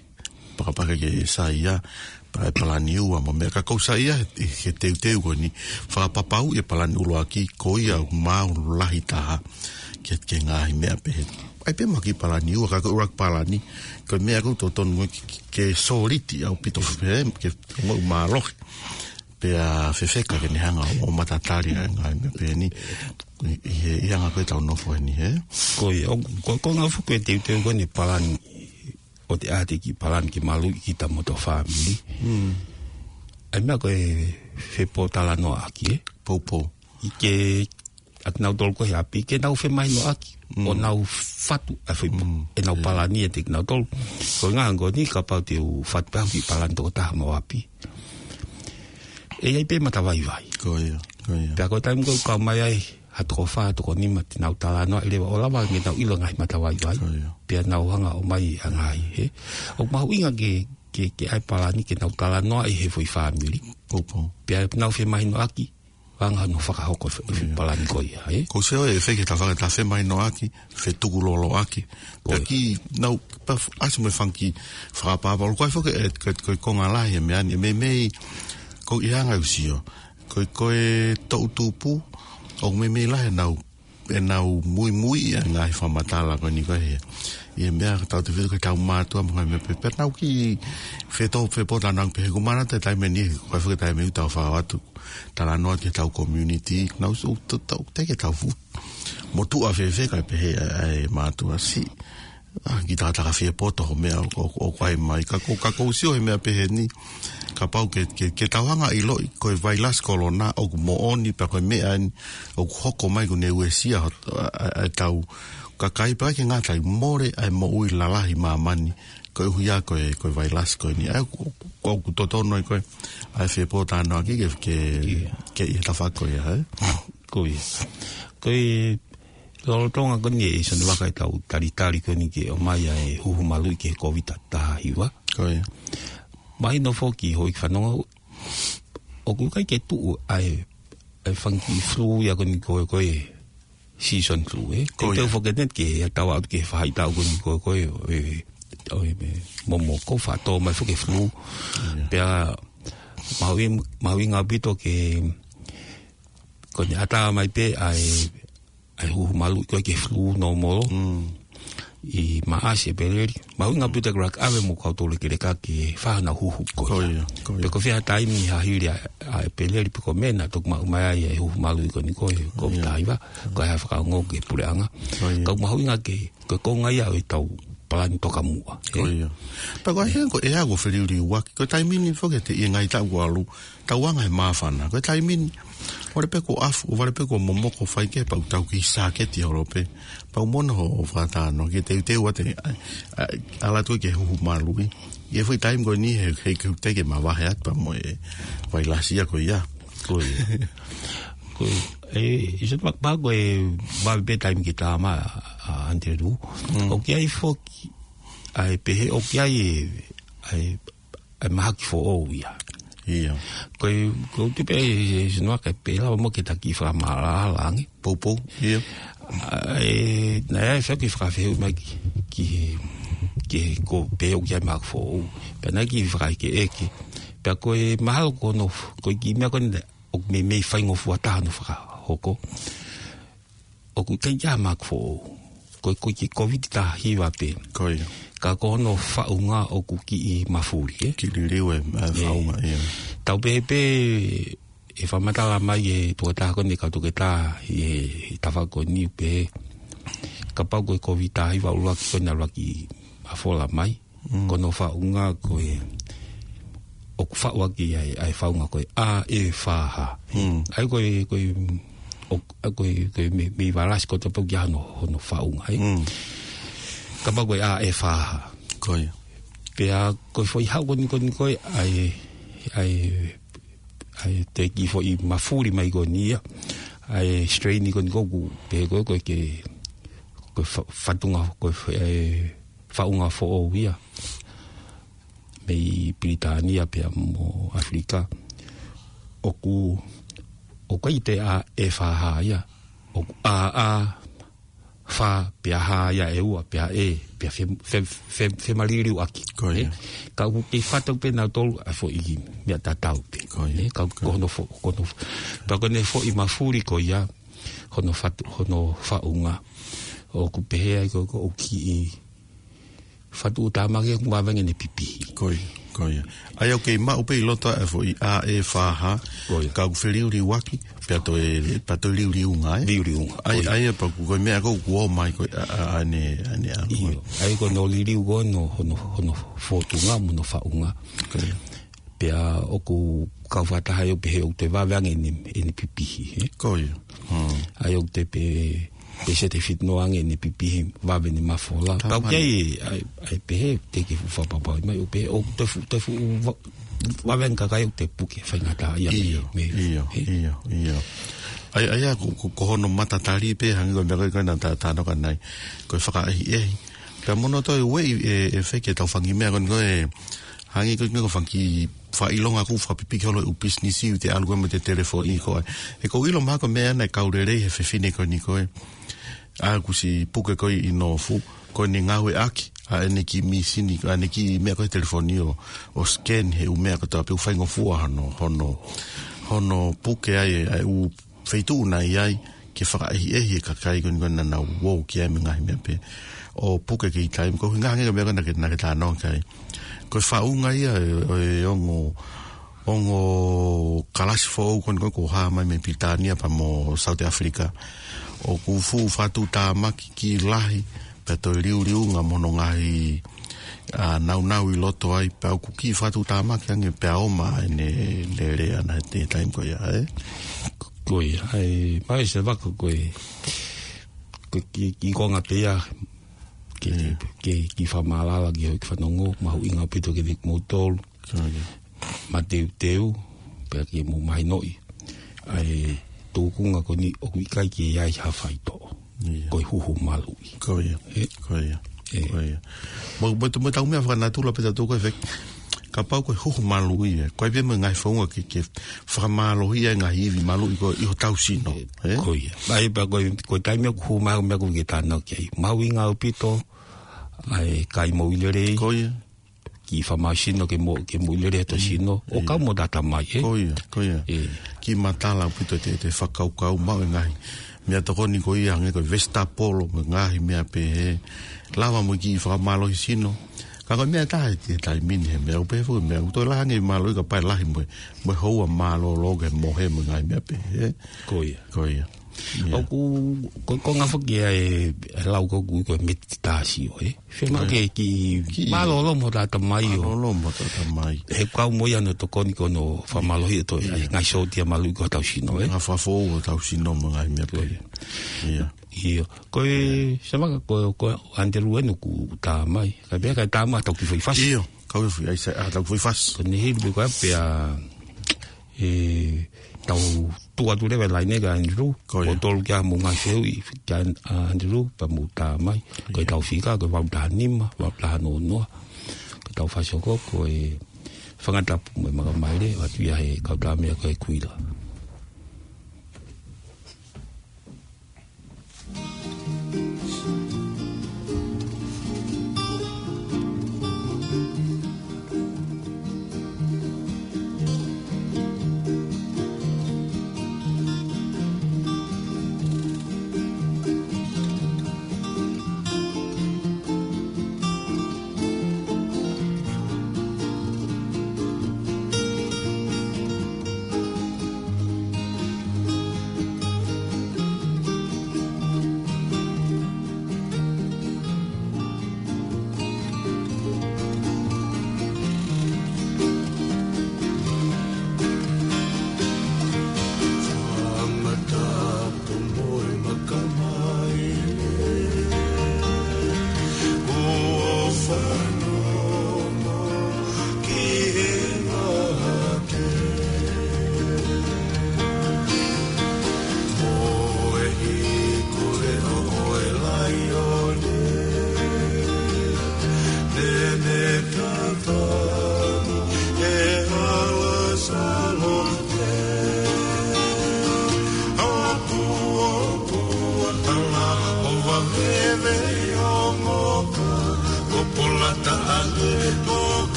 Pakapaka ke saiʻia, pea ʻe palani ua mo e meʻa ka ʻoku ou saiʻia he, he teuteu ko eni. Fakapapauʻi e palani ʻuluaki, ko ia ʻoku maau lahi taha ke, ke ngaahi meʻa pehē. ʻAi pē mo e kiʻi palani ua, ka ko e ʻuluaki palani, ko e meʻa ʻoku totonu ke, ke, ke sōliti ʻaupito pē, ke ongo mālohi. Pea fefeka ke ne hanga ʻo matatali ʻa e ngaahi meʻa pehē ni. ʻI, ʻi he, ʻi he anga ko ē ʻetau nofo heni, hē? Ko ia, ʻo, ko, ko e ngaahi fuʻu ko e teuteu ko eni palani, ʻo te ʻai ʻete kiʻi palani ke maluʻi kita mo hotau fāmili. Mm. ʻAi meʻa ko e fepōtalanoaʻaki, ē? Poupou. ʻI ke, ʻa kinautolu ko ē he ʻapi, ke nau femahinoʻaki, Mm. ʻo nau fatu ʻa e foʻi po-, Mm. ʻenau Yeah. palani ʻiate kinautolu. Ko e ngaahi ko eni kapau te u fatu pē haʻaku kiʻi palani tokotaha mo ʻapi. ʻE ʻi ai pē matavaivai. Ko ia, ko ia. Pea ko e taimi ko ē ʻoku kau mai ai, ha toko fā, ha toko nima, te nau talanoaʻi leva ʻo lava ke nau ʻilo ngaahi matavaivai. Ko ia. Pea nau hanga ʻo ʻomai ʻa e ngaahi, hē. ʻOku mahuʻinga ke, ke, ke ʻai palani ke nau talanoaʻi he foʻi fāmili. Poupou. Pea nau femahinoʻaki, ʻo anga hono fakahoko e fe-, Ko ia. palani ko ia, hē. ʻOku ou sio ʻe fai ke tau faka-, tau femahinoʻaki, fetukuloloʻaki. Ko ia. Pea ke nau, pea f-, ʻasi mo e fanga kiʻi fakapapau. Ko e foki ē, ko e, ko e konga lahi e meʻa ni, ʻe meimei, ko e anga ʻeku sio. Ko e, ko e toʻu tupu, ʻoku meimei lahi ʻenau, ʻenau muimui ʻa e ngaahi fakamatala ko eni ko ē. ʻI he meʻa ka tau te fili ko ʻetau mātuʻa mo e ngaahi meʻa pehē. Pea nau kiʻi feto-, fepōtalanoa pehē ko e manatu e taimi ni, ko e foki e taimi ʻoku tau fai atu talanoa ki heʻetau community, nau sio ʻoku tau, tau, te ke tau fuʻu motuʻa fēfē kae pehē ʻa e, ʻa e mātuʻa siʻi. ʻA, kiʻi takataka fie poto hoʻo meʻa ʻo, ʻo, ʻoku ʻai mai. Ka ko, ka ʻoku ou sio he meʻa pehē ni, kapau ke, ke, ke tau hanga ʻiloʻi, ko e vailasi kolona, ʻoku moʻoni pea ko e meʻa ni, ʻoku hoko mai ʻoku ne uesia hot-, ʻa, ʻa, ʻa e tau kakai pea ke ngata ai mole ʻa e moʻui lalahi māmani, koeʻuhi ia ko e, ko e vailasi ko eni. ʻA, ʻoku, ʻoku, ʻoku totonu ai ko e, ʻa e fepōtalanoaʻaki ke, ke, Ia. ke ʻi he tafaʻaki ko ia, hē? Ko ia. Ko e lolotonga ko eni ʻe Sone Vaka ʻetau talitali ko eni ke ʻomai ʻa e huhu maluʻi ki he Kōviti taha hiva. Ko ia. Mahino foki houʻeiki fanongo, ʻoku ʻikai ke tuʻu ʻa e, ʻa e fanga kiʻi flu ia ko eni ko e, ko e season flu, ē? Ko ia. Teuteu foki eni ke ʻi ai ʻetau aʻu ki he faʻahitaʻu ko eni ko e, ko e, ʻo e, ʻo e, ʻo e momoko faʻa tō mai foki e flu. Ia. Pea mahuʻi-, mahuʻinga ʻaupito ke, ko eni ʻatā mai pē ʻa e, ʻa e huhu maluʻi ko ē ki he flu normal. Mm. ʻI Maʻasi, ʻEpeleli. Mahuʻinga ʻaupito ke laka ʻave mo e kau toulekeleka ke fai haʻanau huhu ko ia. Ko ia, ko ia. Pe ko e fē ha taimi ha hili ʻa, ʻa ʻEpeleli pe ko Mē naʻa toki maʻu mai ai e huhu maluʻi ko eni ko e Kōviti taha hiva. Ko e hā e fakaongo ki he puleʻanga. Ko ia. Ka ʻoku mahuʻinga ke, ko e konga ia ʻo ʻetau palani tokamuʻa. Ko ia. Pea ko e hā ko e ʻea ʻoku feliuliuaki. Ko e taimi ni foki ʻi he ngaahi taʻu kuo ʻalu, tau anga he māfana. Ko e taimi ni, ʻoku vale pē kuo ʻafu, ʻoku vale pē kuo momoko, fai kehe pea ʻoku tau kiʻi sāketi holo pē. Pea ʻoku mono hoʻo fakatalanoa ke teuteu atu, ʻa, ʻa, ʻalu atu ki he huhu maluʻi. ʻI he foʻi taimi ko eni he, he, he ʻoku teʻeki mavahe atu pea mo e vailasi ia ko ia. Ko ia. Ko ia. ʻE, ʻi he sot mak pa ko e vave pē taimi ke tā mai ʻa, ʻa Andrew. Mm. ʻOku ʻi ai foki, ʻa e pehē ʻoku ʻi ai e, ʻa e ʻa e mahaki foʻou ia. Ia. Ko e, ko e tupe e, e, sinoa ke pela mo ke taki fakamālala ange. Poupou, ia. ʻA, e, naʻe ʻi ai fea ki fakafehuʻi mai ki, ki, ki ko peo ki ai mahaki foʻou. Pea naʻe ki fakaʻekeʻeke. Pea ko e mahalo ko hono, ko e kiʻi meʻa ko eni, ʻoku meimei faingofua taha hono fakahoko. ʻOku ʻikai ke ʻi ai ha mahaki foʻou. Ko e, ko e kiʻi Covid taha hiva pē. Ko ia. Ka ko hono faʻunga ʻoku kiʻi mafuli, ē? Kiʻi liliu e, ʻa e, ē, faʻunga, ia. Tau pehē pē, ʻe fakamatala mai e toketā ko eni, kau toketā ʻi he, he tafaʻaki ko eni pē. Kapau ko e Covid taha hiva ʻuluaki ko eni ʻuluaki mafola mai. Mm. Ko hono faʻunga ko e, ʻoku faʻu ʻaki ʻa e, ʻa e faʻunga ko e A E F H. Mm. ʻA ia ko e, ko e, ʻo, ʻa ia ko e, ko e meimei, meimei valasi ko e tau pau ki ai hono, hono faʻunga, ē? Mm. Kapau ko e A E F H. Ko ia. Pea ko e foʻi haʻu ko eni, ko eni ko e, ʻa e, ʻa e, ʻa e te kiʻi foʻi mafuli mai ko eni ia. ʻA e strain ko eni ko ē ʻoku pehē ko e, ko e ke, ko e fa-, fatunga, ko e fa-, ʻa e faʻunga foʻou ia mei Pilitānia pea mo ʻAfilika. ʻOku, ʻoku ʻikai te A E F H ia. ʻOku A A F pea H ia ʻe ua, pea E, pea fe-, fe-, fe-, femaliliu ʻaki. Ko ia. Ē? Ka ʻoku kei fatu pē nautolu ʻa e foʻi meʻa tatau pē. Ko ia. Ē? Ka ko ia. Ko hono fo-, ko hono fo-, pea ko ʻene foʻi mafuli ko ia, hono fatu, hono faʻunga. ʻOku pehē ai ko, ko ʻoku kiʻi fatu ʻuta maki ʻoku vave ange ʻene pipihi. Ko ia, ko ia. ʻA ia ʻoku kei maʻu pē ʻi loto ʻa e foʻi A E F H, ko ia, ka ʻoku feliuliuaki, pea toe, pea toe liuliunga, ē? Liuliunga, ʻa ia, ko ia. ʻA ia pea ko e meʻa ko ē ʻoku ō mai ko ē, ʻa, ʻa, ʻa ʻene, ʻa ʻene ʻalu. ʻIo, ʻa ia ko hono liliu ko ē hono, hono, hono fotunga mo hono faʻunga. Ko ia. Pea ʻoku kau fakataha ʻo pehē ʻoku toe vave ange ʻene, ʻene pipihi, ē? Ko ia. Hmm. ʻA ia ʻoku toe pē, pē sete fiti noa ange ʻene pipihi, vave ʻene mafola. Ka ʻoku ʻi ai, ʻa e, ʻa e pehē, te ke fuʻu fakapapauʻi mai, ʻo pehē, ʻoku toe fuʻu, toe fuʻu va-, vave ange kakai ʻoku toe puke faingataʻaʻia mei, ʻIo, mei, ʻio, ē? ʻIo, ʻio. ʻA ia, ʻa ia, ko, ko, ko hono matatali pē, hangē ko e meʻa ko ē naʻa ta, ta talanoa ki ai. Ko e fakaʻehiʻehi. Pea mo hono toe ueʻi e, e feke tau fangi meʻa ko eni ko e, hangē ko e, ko e fanga kiʻi fakaʻilonga ʻoku fakapipiki holo e ʻū pisinisi ʻoku te ʻalu ko ē mo e telefoni ko ē. ʻE ʻoku ou ʻilo mahalo ko e meʻa naʻe kau lelei he fefine ko eni ko ē. ʻA ia kuo ʻosi puke ko ē ʻi Nofu, ko ʻene ngāueʻaki ʻa ʻene kiʻi mīsini, ʻa ʻene kiʻi meʻa ko ē he telefoni ʻo, ʻo scan he ʻū meʻa ko ē tau pehē ʻoku faingofua hono, hono, hono puke ai ʻa e ʻū feituʻu naʻe ʻi ai, ke fakaʻehiʻehi e kakai ko eni ko ē naʻa nau ō ki ai mo e ngaahi meʻa pehē. ʻO puke ki he taimi, ko e ʻuhinga hangē ko e meʻa ko ē naʻa ke, naʻa ke talanoa ki ai. Ko e faʻunga ia ʻo e, ʻo e ongo, ongo kalasi foʻou ko eni ko ē kuo hā mai mei Pilitānia pea mo South Africa. ʻOku fuʻu fatu tāmaki kiʻi lahi, pea toe liuliunga mo hono ngaahi, ʻa, naunau ʻi loto ai, pea ʻoku kiʻi fatu tāmaki ange pea ʻomi ʻene lele ʻana he taimi ko ia, ē? Ko ia, ʻa e, mai se vaka ko e, ko e kiʻi, kiʻi konga pē ia, ke, ʻIo. ke, ke kiʻi fakamālala ki hoʻo kiʻi fanongo, mahuʻinga ʻaupito kiate kimoutolu. Ko ia. Mateuteu, pea ke mou mahinoʻi. ʻA e tūkunga ko eni ʻoku ʻikai ke ʻi ai ha faitoʻo. ʻIo. Ko e huhu maluʻi. Ko ia. Ē? Ko ia. Ē. Ko ia. Mo, mo, mo tau meʻa fakanatula pē tautolu ko e fek-, kapau ko e huhu maluʻi ē. Ko e pē mo e ngaahi founga ke, ke fakamālohia e ngaahi ivi maluʻi ko ē ʻi hotau sino. Ē? Ē? Ko ia. ʻA ia pea ko e, ko e taimi ʻoku hū mai meʻa ko ē ke tānaki ai. Mahuʻinga ʻaupito, ʻa e kai moʻui lelei. Ko ia. Kiʻi fakamālohisino ke mo, ke moʻui lelei hotau sino. ʻIo. ʻO kau mo e tangata mai, ē? Ko ia, ko ia. Ē. Kiʻi matala ʻaupito te, te fakakaukau maʻu e ngaahi meʻatokoni ko ia hangē ko e vesitapolo mo e ngaahi meʻa pehē. Lava mo e kiʻi fakamālohisino. Ka ko e meʻa ʻe taha he taimi ni he meʻa ʻoku pehē foki meʻa ʻoku toe lahi ange mālohi ka pae lahi mo e, mo e houa mālōlō ke mohe mo e ngaahi meʻa pehē. Ko ia. Ko ia. Ia. ʻOku, ko, ko e ngaahi foki ʻa e, e lau ko ē ʻoku ui ko e meditāsio, ē? Fiemaʻu ke, ke mālōlō mo e tangata mai ʻo. Mālōlō mo e tangata mai. He kau mo ia hono tokoni ki hono fakamālohi ʻo e, ʻa e ngaahi sōtia maluʻi ko ē hotau sino, ē? Ngaahi fakafoʻou hotau sino mo e ngaahi meʻa pehē. Ia. ʻIo. Ko e, Savaka ko, ko Andrew ē ʻoku tā mai. Ka pea ka tā mai tau kiʻi foʻi fasi. ʻIo. Kau e foʻi, ʻai sa, ʻa, tau kiʻi foʻi fasi. Ko eni hili pē ko ē pea, ʻe, tau tuʻu atu leva e laine kia Andrew. Ko ia. Ko tolu kia mo e ngaahi fehuʻi kia, ʻa, Andrew, pea mo tā mai. Ko e tau fika, ko e valu taha nima, valu taha noa noa. Ko e tau fasi hoko, ko e Fanga Tapu mo e Makamaile, ʻoatu ia he kau tama ko e Kuila.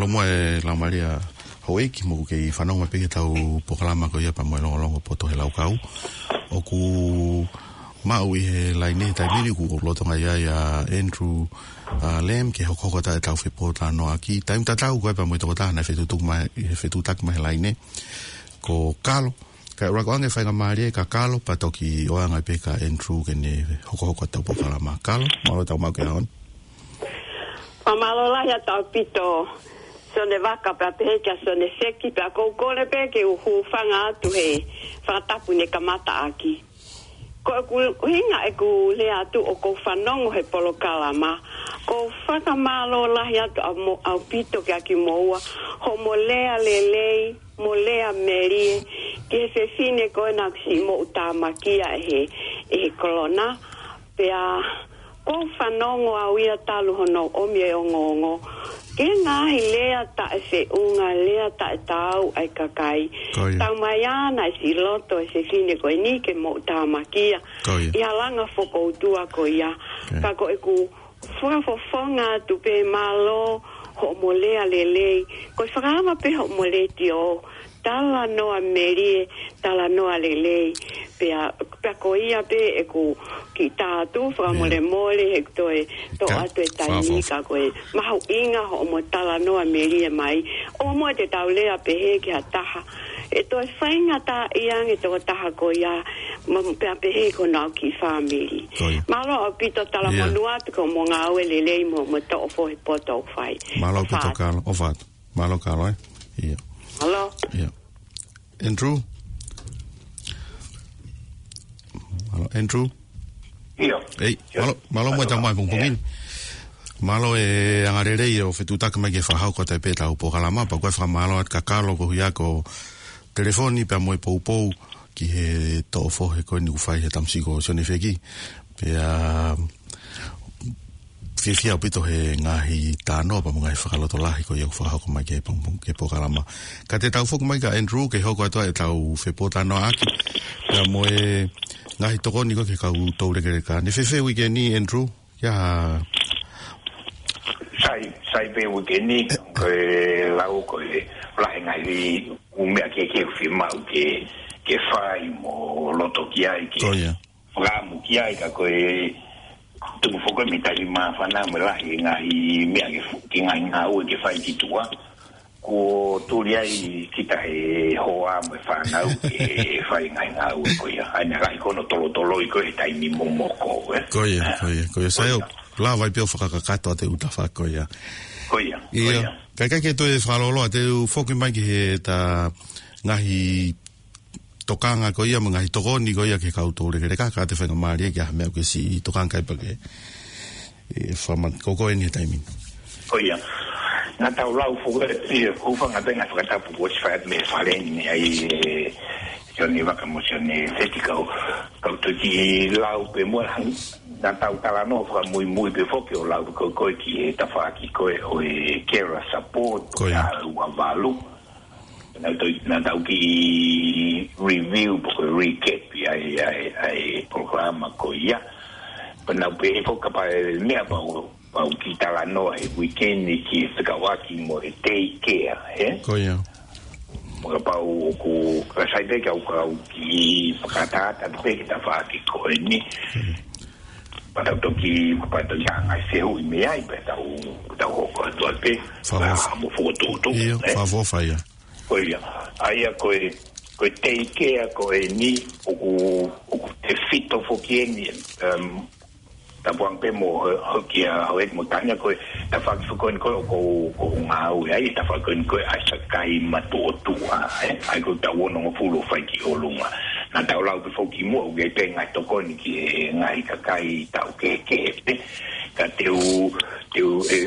Mālō muʻa e Laumālie Houʻeiki, mou kei fanongo mai pē ki heʻetau polokalama ko ia pea mo e Longolongo Poto he Laukau. ʻOku maʻu ʻi he laine he taimi ni, ʻoku ou lolotonga ʻi ai ʻa Andrew, ʻa Lam, ke hokohoko atu ʻetau fepotalanoaʻaki. Taimi tatau ko ē pea mo e tokotaha naʻe fetuʻutaki mai, he fetuʻutaki mai he laine, ko Kalo. Kae ʻuluaki ʻoange faingamālie kia Kalo, pea toki ʻoange pē kia Andrew ke ne hokohoko atu ʻetau polokalama. Kalo, mālō e tau maʻu koe he ʻaho ni. Fakamālō lahi atu ʻaupito Sione Vaka pea pehē kia Sione Seki, pea ʻoku ou kole pē ke u hūfanga atu he fakatapu ne kamata ʻaki. Ko ʻeku ʻuhinga ʻeku lea atu ʻoku ou fanongo he polokalama, ʻoku ou fakamālō lahi atu ʻa mo-, ʻaupito kia kimoua, hoʻomo lea lelei, mo lea melie, ki he fefine ko ena ʻoku siʻi moʻutāmakia ʻe he, ʻe he kolona. Pea ʻoku ou fanongo au ia talu hono ʻomi e ongoongo ki he ngaahi lea taʻefeʻunga, lea taʻetaau ʻa e kakai. Ko ia. Taumaiā naʻe siʻi loto e fefine ko eni ke moʻutāmakia. Ko ia. ʻI he langa fokoutua ko ia. Ko ia. Ka ko ʻeku fakafofonga atu pē mālō hoʻomo lea lelei. Ko e fakaava pē hoʻomo letiō, talanoa melie, talanoa lelei. Pea, pea ko ia pē ʻeku kiʻi tā atu, fakamolemole he toe toʻo atu e taimi, ka ko e mahuʻinga hoʻomo talanoa melie mai. ʻOua muʻa te tau lea pehē ki ha taha ʻe toe faingataʻaʻia ange tokotaha ko ia, ma-, pea pehē ki honau kiʻi fāmili. Ko ia. Mālō ʻaupito, talamonū atu ki hoʻomo ngāue lelei mo, mo e toʻo fohe poto ʻoku fai. Mālō ʻaupito, Kalo. ʻOfa atu. Mālō Kalo, ē? ʻIo. Mālō. ʻIo. Andrew? Mālō, Andrew? ʻIo. ʻEi, mālō, mālō muʻa e tau maʻu e pongipongi ni. Mālō e angalelei ʻo e fetuʻutaki mai ke fakahoko atu pē ʻetau polokalama, pea ʻoku ou fakamālō atu kia Kalo koeʻuhi ko e telefoni pea mo e poupou ki he toʻo fohe ko eni ʻoku fai he tamasiʻi ko Sione Feki. Pea fiefia ʻaupito he ngaahi talanoa pea mo e ngaahi fakalotolahi ko ia ʻoku fakahoko mai ki he pong-, ki he polokalama. Ka te tau foki mai kia Andrew ke hoko atu ʻetau fepotalanoaʻaki pea mo e ngaahi tokoni ko ē ki he kau toulekeleka. Naʻe fēfē uike ni, Andrew? Ia. Sai, sai pē uike ni, ko e lau ko e lahi e ngaahi ʻū meʻa kehekehe ʻoku fiemaʻu ke, ke fai mo loto ki ai ke. Ko ia. Fakaʻamu ki ai ka ko e, tuku foki mei he taimi māfana mo e lahi e ngaahi meʻa ke fu-, ke ngaahi ngāue ke fai ki tuʻa. Kuo tuli ai kita he hoa mo e fānau ke fai ngaahi ngāue ko ia. ʻA ia naʻe lahi ko hono tolotoloi ko ē he taimi momoko, ē? Ko ia, ko ia, ko ia. Sai ʻoku lava ai pē ʻo fakakakato ʻa e ʻū tafaʻaki ko ia. Ko ia, ko ia. Kae ʻikai ke toe fakalōloa, te u foki mai ki he ta ngaahi tokanga ko ia mo e ngaahi tokoni ko ia ki he kau toulekeleka, ka te faingamālie ki ha meʻa ʻoku ke siʻi tokanga ki ai pea ke, ē, fakamanatu ko eni he taimi ni. Ko ia. Naʻa tau lau foki ē, ʻoku ou fakaʻamu pē ngaahi fakatapu kuo ʻosi fai mei he fale ni, ʻa ia, ē, Sione Vaka mo Sione Feti, kau, kau toki lau pē muʻa, naʻa tau talanoa fakamuimui pē foki ʻo lau ko ē ki he tafaʻaki ko ē ʻo e carer support, ko ia, ʻa e ua valu. Naʻa tau, naʻa tau kiʻi review pe ko e recap ia ʻa e, ʻa e, ʻa e polokalama ko ia. Pea naʻa ku pehē foki kapau ʻe meʻa pau, pau ke talanoa he weekend ni ki he fekauʻaki mo e daycare, ē? Ko ia. Mo kapau ʻoku, ka sai pē ke u, ka u kiʻi fakatātā pē ki he tafaʻaki ko eni. Pea tau toki, pea tau toki hanga ʻo fehuʻi mei ai, pea tau, tau hoko atu ai pē. Fakaʻofa. Pea mo fokotuʻutuʻu, ʻio, ē? Fakaʻofa ia. Ko ia. ʻA ia ko e, ko e daycare ko eni, ʻoku, ʻoku tefito foki eni, em, tapu ange pē mo ho-, hoʻo kia, hoʻo ʻeiki mo Tania, ko e tafaʻaki foki ko eni ko ē ʻoku ou, ʻoku ou ngāue ai, tafaʻaki ko eni ko ē ʻa e kakai matuʻotuʻa, ē? ʻA ia ko ʻetau onongofulu ʻoku fai ki ʻolunga. Naʻa tau lau pē foki muʻa, ʻoku ʻi ai pē ngaahi tokoni ki he ngaahi kakai taʻu kehekehe pē. Ka te u, te u, ē,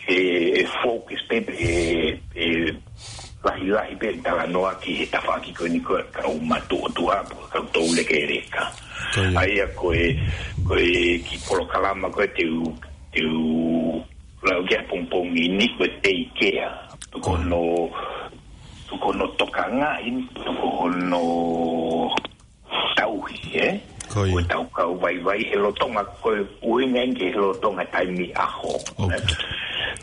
ʻe, ʻe focus pē, ʻe, ʻe lahilahi pē talanoa ki he tafaʻaki ko eni ko ē kau matuʻotuʻa, kau toulekeleka. Ko ia. ʻA ia ko e, ko e kiʻi polokalama ko ē te u, te u lau ki ai he pongipongi ni ko e daycare. Ko ia. Ko hono, ko hono tokangaʻi, ko hono tauhi, ē? Ko ia. Ko ʻetau kau vaivai he lolotonga, ko e ʻuhinga eni ki he lolotonga taimi ʻaho. ʻOku.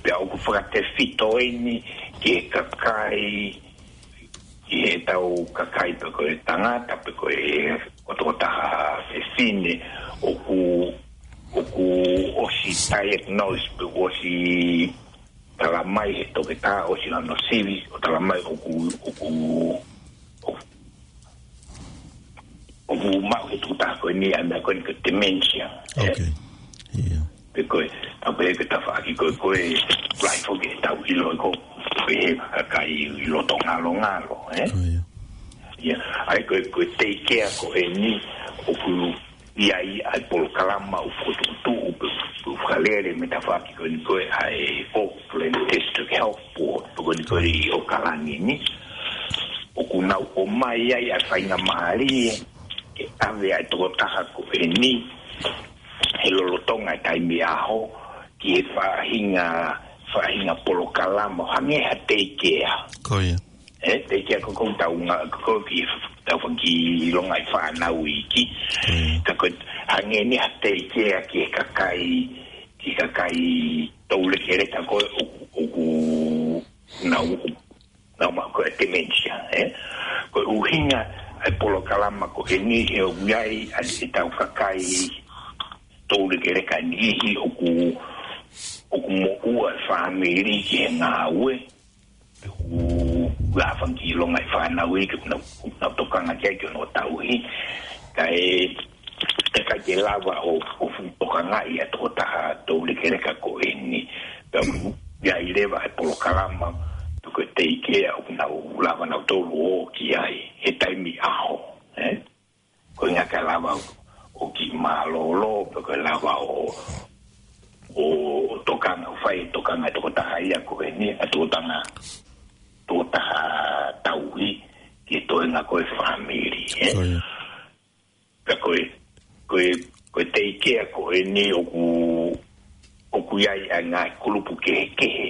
Pea ʻoku fakatefito eni ki he kakai, ki heʻetau kakai pe ko e tangata, pe ko e, ko e tokotaha fefine, ʻoku, ʻoku ʻosi diagnose, pe ʻosi talamai he toketā, ʻosi hono sivi, ʻo talamai ʻoku, ʻoku, ʻoku ʻoku maʻu he tokotaha ko eni ʻa e meʻa ko eni ko e dementia, ē? Ok. ʻIo. Pe ko e, ʻa pē ko e tafaʻaki ko ē, ko e lahi foki ʻetau ʻilo ko ē he kakai ʻi loto ngalongalo, ē? Ko ia. ʻIa, ʻa ia ko e, ko e daycare ko eni ʻoku ʻi ai ʻa e polokalama ʻoku tuʻutuʻu pe, pe fakalele mei he tafaʻaki ko eni ko ē ʻa e Auckland District Health Board, ko eni ko ē ʻi ʻAokalani ni. ʻOku nau ʻomai ai ʻa e faingamālie ke ʻave ʻa e tokotaha ko eni he lolotonga e taimi ʻaho ki he faʻahinga, faʻahinga polokalama ʻo hangē ha daycare. Ko ia. Ē, daycare ko ē ʻoku tau ngā-, ko ē ʻoku tau fanga kiʻi longaʻi fānau iiki. Ko ia. Ka ko e hangē ni ha daycare ki he kakai, ki he kakai toulekeleka ko ē ʻoku, ʻoku nau, nau maʻu ko ē dementia, ē? Ko e ʻuhinga ʻa e polokalama ko eni he ʻoku ʻi ai ʻa ʻetau kakai toulekeleka ʻe niʻihi ʻoku, ʻoku moʻua e fāmili ki he ngāue, ʻoku ʻi ai ha fanga kiʻi longaʻi fānau iiki ʻoku nau, ʻoku nau tokanga ki ai ki hono tauhi. Kae, ʻikai ke lava ʻo, ʻo fuʻu tokangaʻi ʻa e tokotaha toulekeleka ko eni. Pea ʻoku ʻi ai leva e polokalama, pe ko e daycare ʻoku nau lava nautolu ʻo ō ki ai he taimi ʻaho, ē? Ko e ʻuhinga ke lava ʻo, ʻo kiʻi mālōlō, pe ko e lava ʻo, ʻo, ʻo tokanga, ʻo fai e tokanga e tokotaha ia ko eni, ʻa e tokotaha, tokotaha tauhi, ki he toenga ko ē fāmili, ē? Ko ia. Ka ko e, ko e, ko e daycare ko eni ʻoku, ʻoku ʻi ai ʻa e ngaahi kulupu kehekehe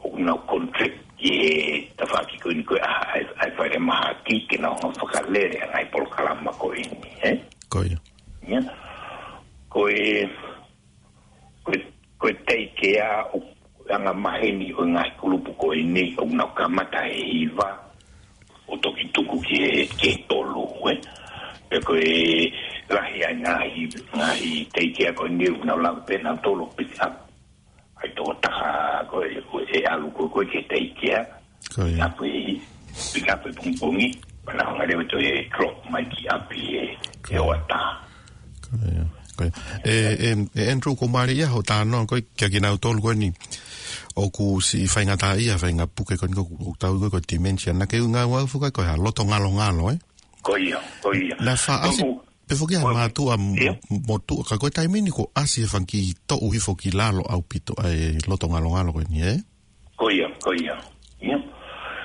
ʻoku nau contract ki he tafaʻaki ko eni ko ē ʻa e, ʻa e, ʻa e falemahaki ke nau hanga ʻo fakalele ʻa e ngaahi polokalama ko eni, ē? Ko ia. ʻIa. Ko e, ko e, ko e daycare ʻoku angamaheni ʻo e ngaahi kulupu ko eni ʻoku nau kamata he hiva ʻo toki tuku ki he, ki he tolu, ē? Pea ko e, lahi ai ngaahi, ngaahi teikea ko eni ʻoku nau lava pē ʻe nautolu ʻo pick up ʻa e tokotaha ko ē, ko ē ʻe ʻalu ko ē ke teikea. Ko ia. Pick up ʻi, pick up ʻi pongipongi, pea nau hanga leva ʻo toe drop mai ki ʻapi ʻi he, ʻi he hoʻatā. Ko ia. Ko ia. ʻE, ʻe, ʻe Andrew, ko e mālie ia hoʻo talanoa ko ē kia kinautolu ko eni ʻoku siʻi faingataʻaʻia, faʻahinga puke ko eni ʻoku, ʻoku tau ui ko e dementia. Naʻa ke ʻuhinga ʻo fakaʻuhinga ko e hā, loto ngalongalo, ē? Ko ia, ko ia. Naʻe faʻa ʻasi, ʻoku, pē foki ʻa e, ko, mātuʻa mo, ia, motuʻa, ka ko e taimi ni kuo ʻasi e fanga kiʻi toʻu hifo ki lalo ʻaupito ʻa e loto ngalongalo ko eni, ē? Ko ia, ko ia. Ia.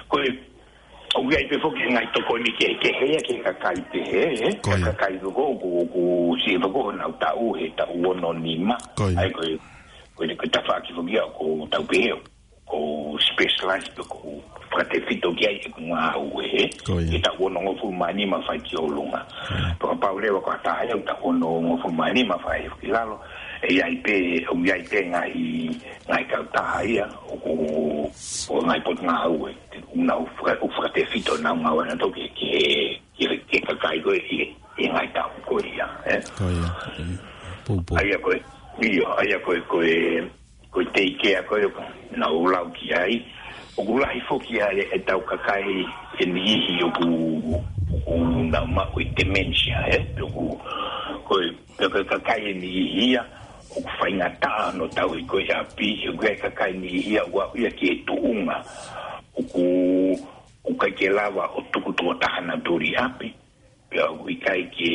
Ko e, ʻoku ʻi ai pē foki e ngaahi tokoni kehekehe ia ki he kakai pehē, ē? Ko ia. Kakai ko ē ʻoku, ʻoku siʻi hifo honau taʻu, he taʻu ono nima. Ko ia. ʻA ia ko e, ko e, ko e tafaʻaki foki ia ʻoku tau pehē ʻoku specialize pe ʻoku fakatefito ki ai ʻeku ngāue, ē? Ko ia. He taʻu onongofulu mā nima fai ki ʻolunga. Ko ia. Pea kapau leva ko ha taha ia ʻoku taʻu onongofulu mā nima fai ki lalo, ʻe ʻi ai pē, ʻoku ʻi ai pē ngaahi, ngaahi kautaha ia, ʻoku, ʻo e ngaahi potungāue, ʻoku nau faka-, ʻoku fakatefito honau ngāue ʻanautolu ki he, ki he, ki he, ki he kakai ko ē ʻi he, ʻi he ngaahi taʻu ko ia, ē? Ko ia. Poupou. ʻA ia ko e, ʻio, ʻa ia ko e, ko e, ko e teikea ko ē ʻoku nau lau ki ai. ʻOku lahi foki ʻa e, ʻetau kakai ʻe niʻihi ʻoku, ʻoku nau maʻu e dementia, ē? ʻOku, ko e, ko e kakai ʻe niʻihi ia ʻoku faingataʻa hono tauhi ko ē ʻapi, ʻoku ʻi ai e kakai ʻe niʻihi ia ʻoku aʻu ia ki he tuʻunga ʻoku, ʻoku ʻikai ke lava ʻo tuku tokotaha nautolu ʻi ʻapi. Pea ʻoku ʻikai ke,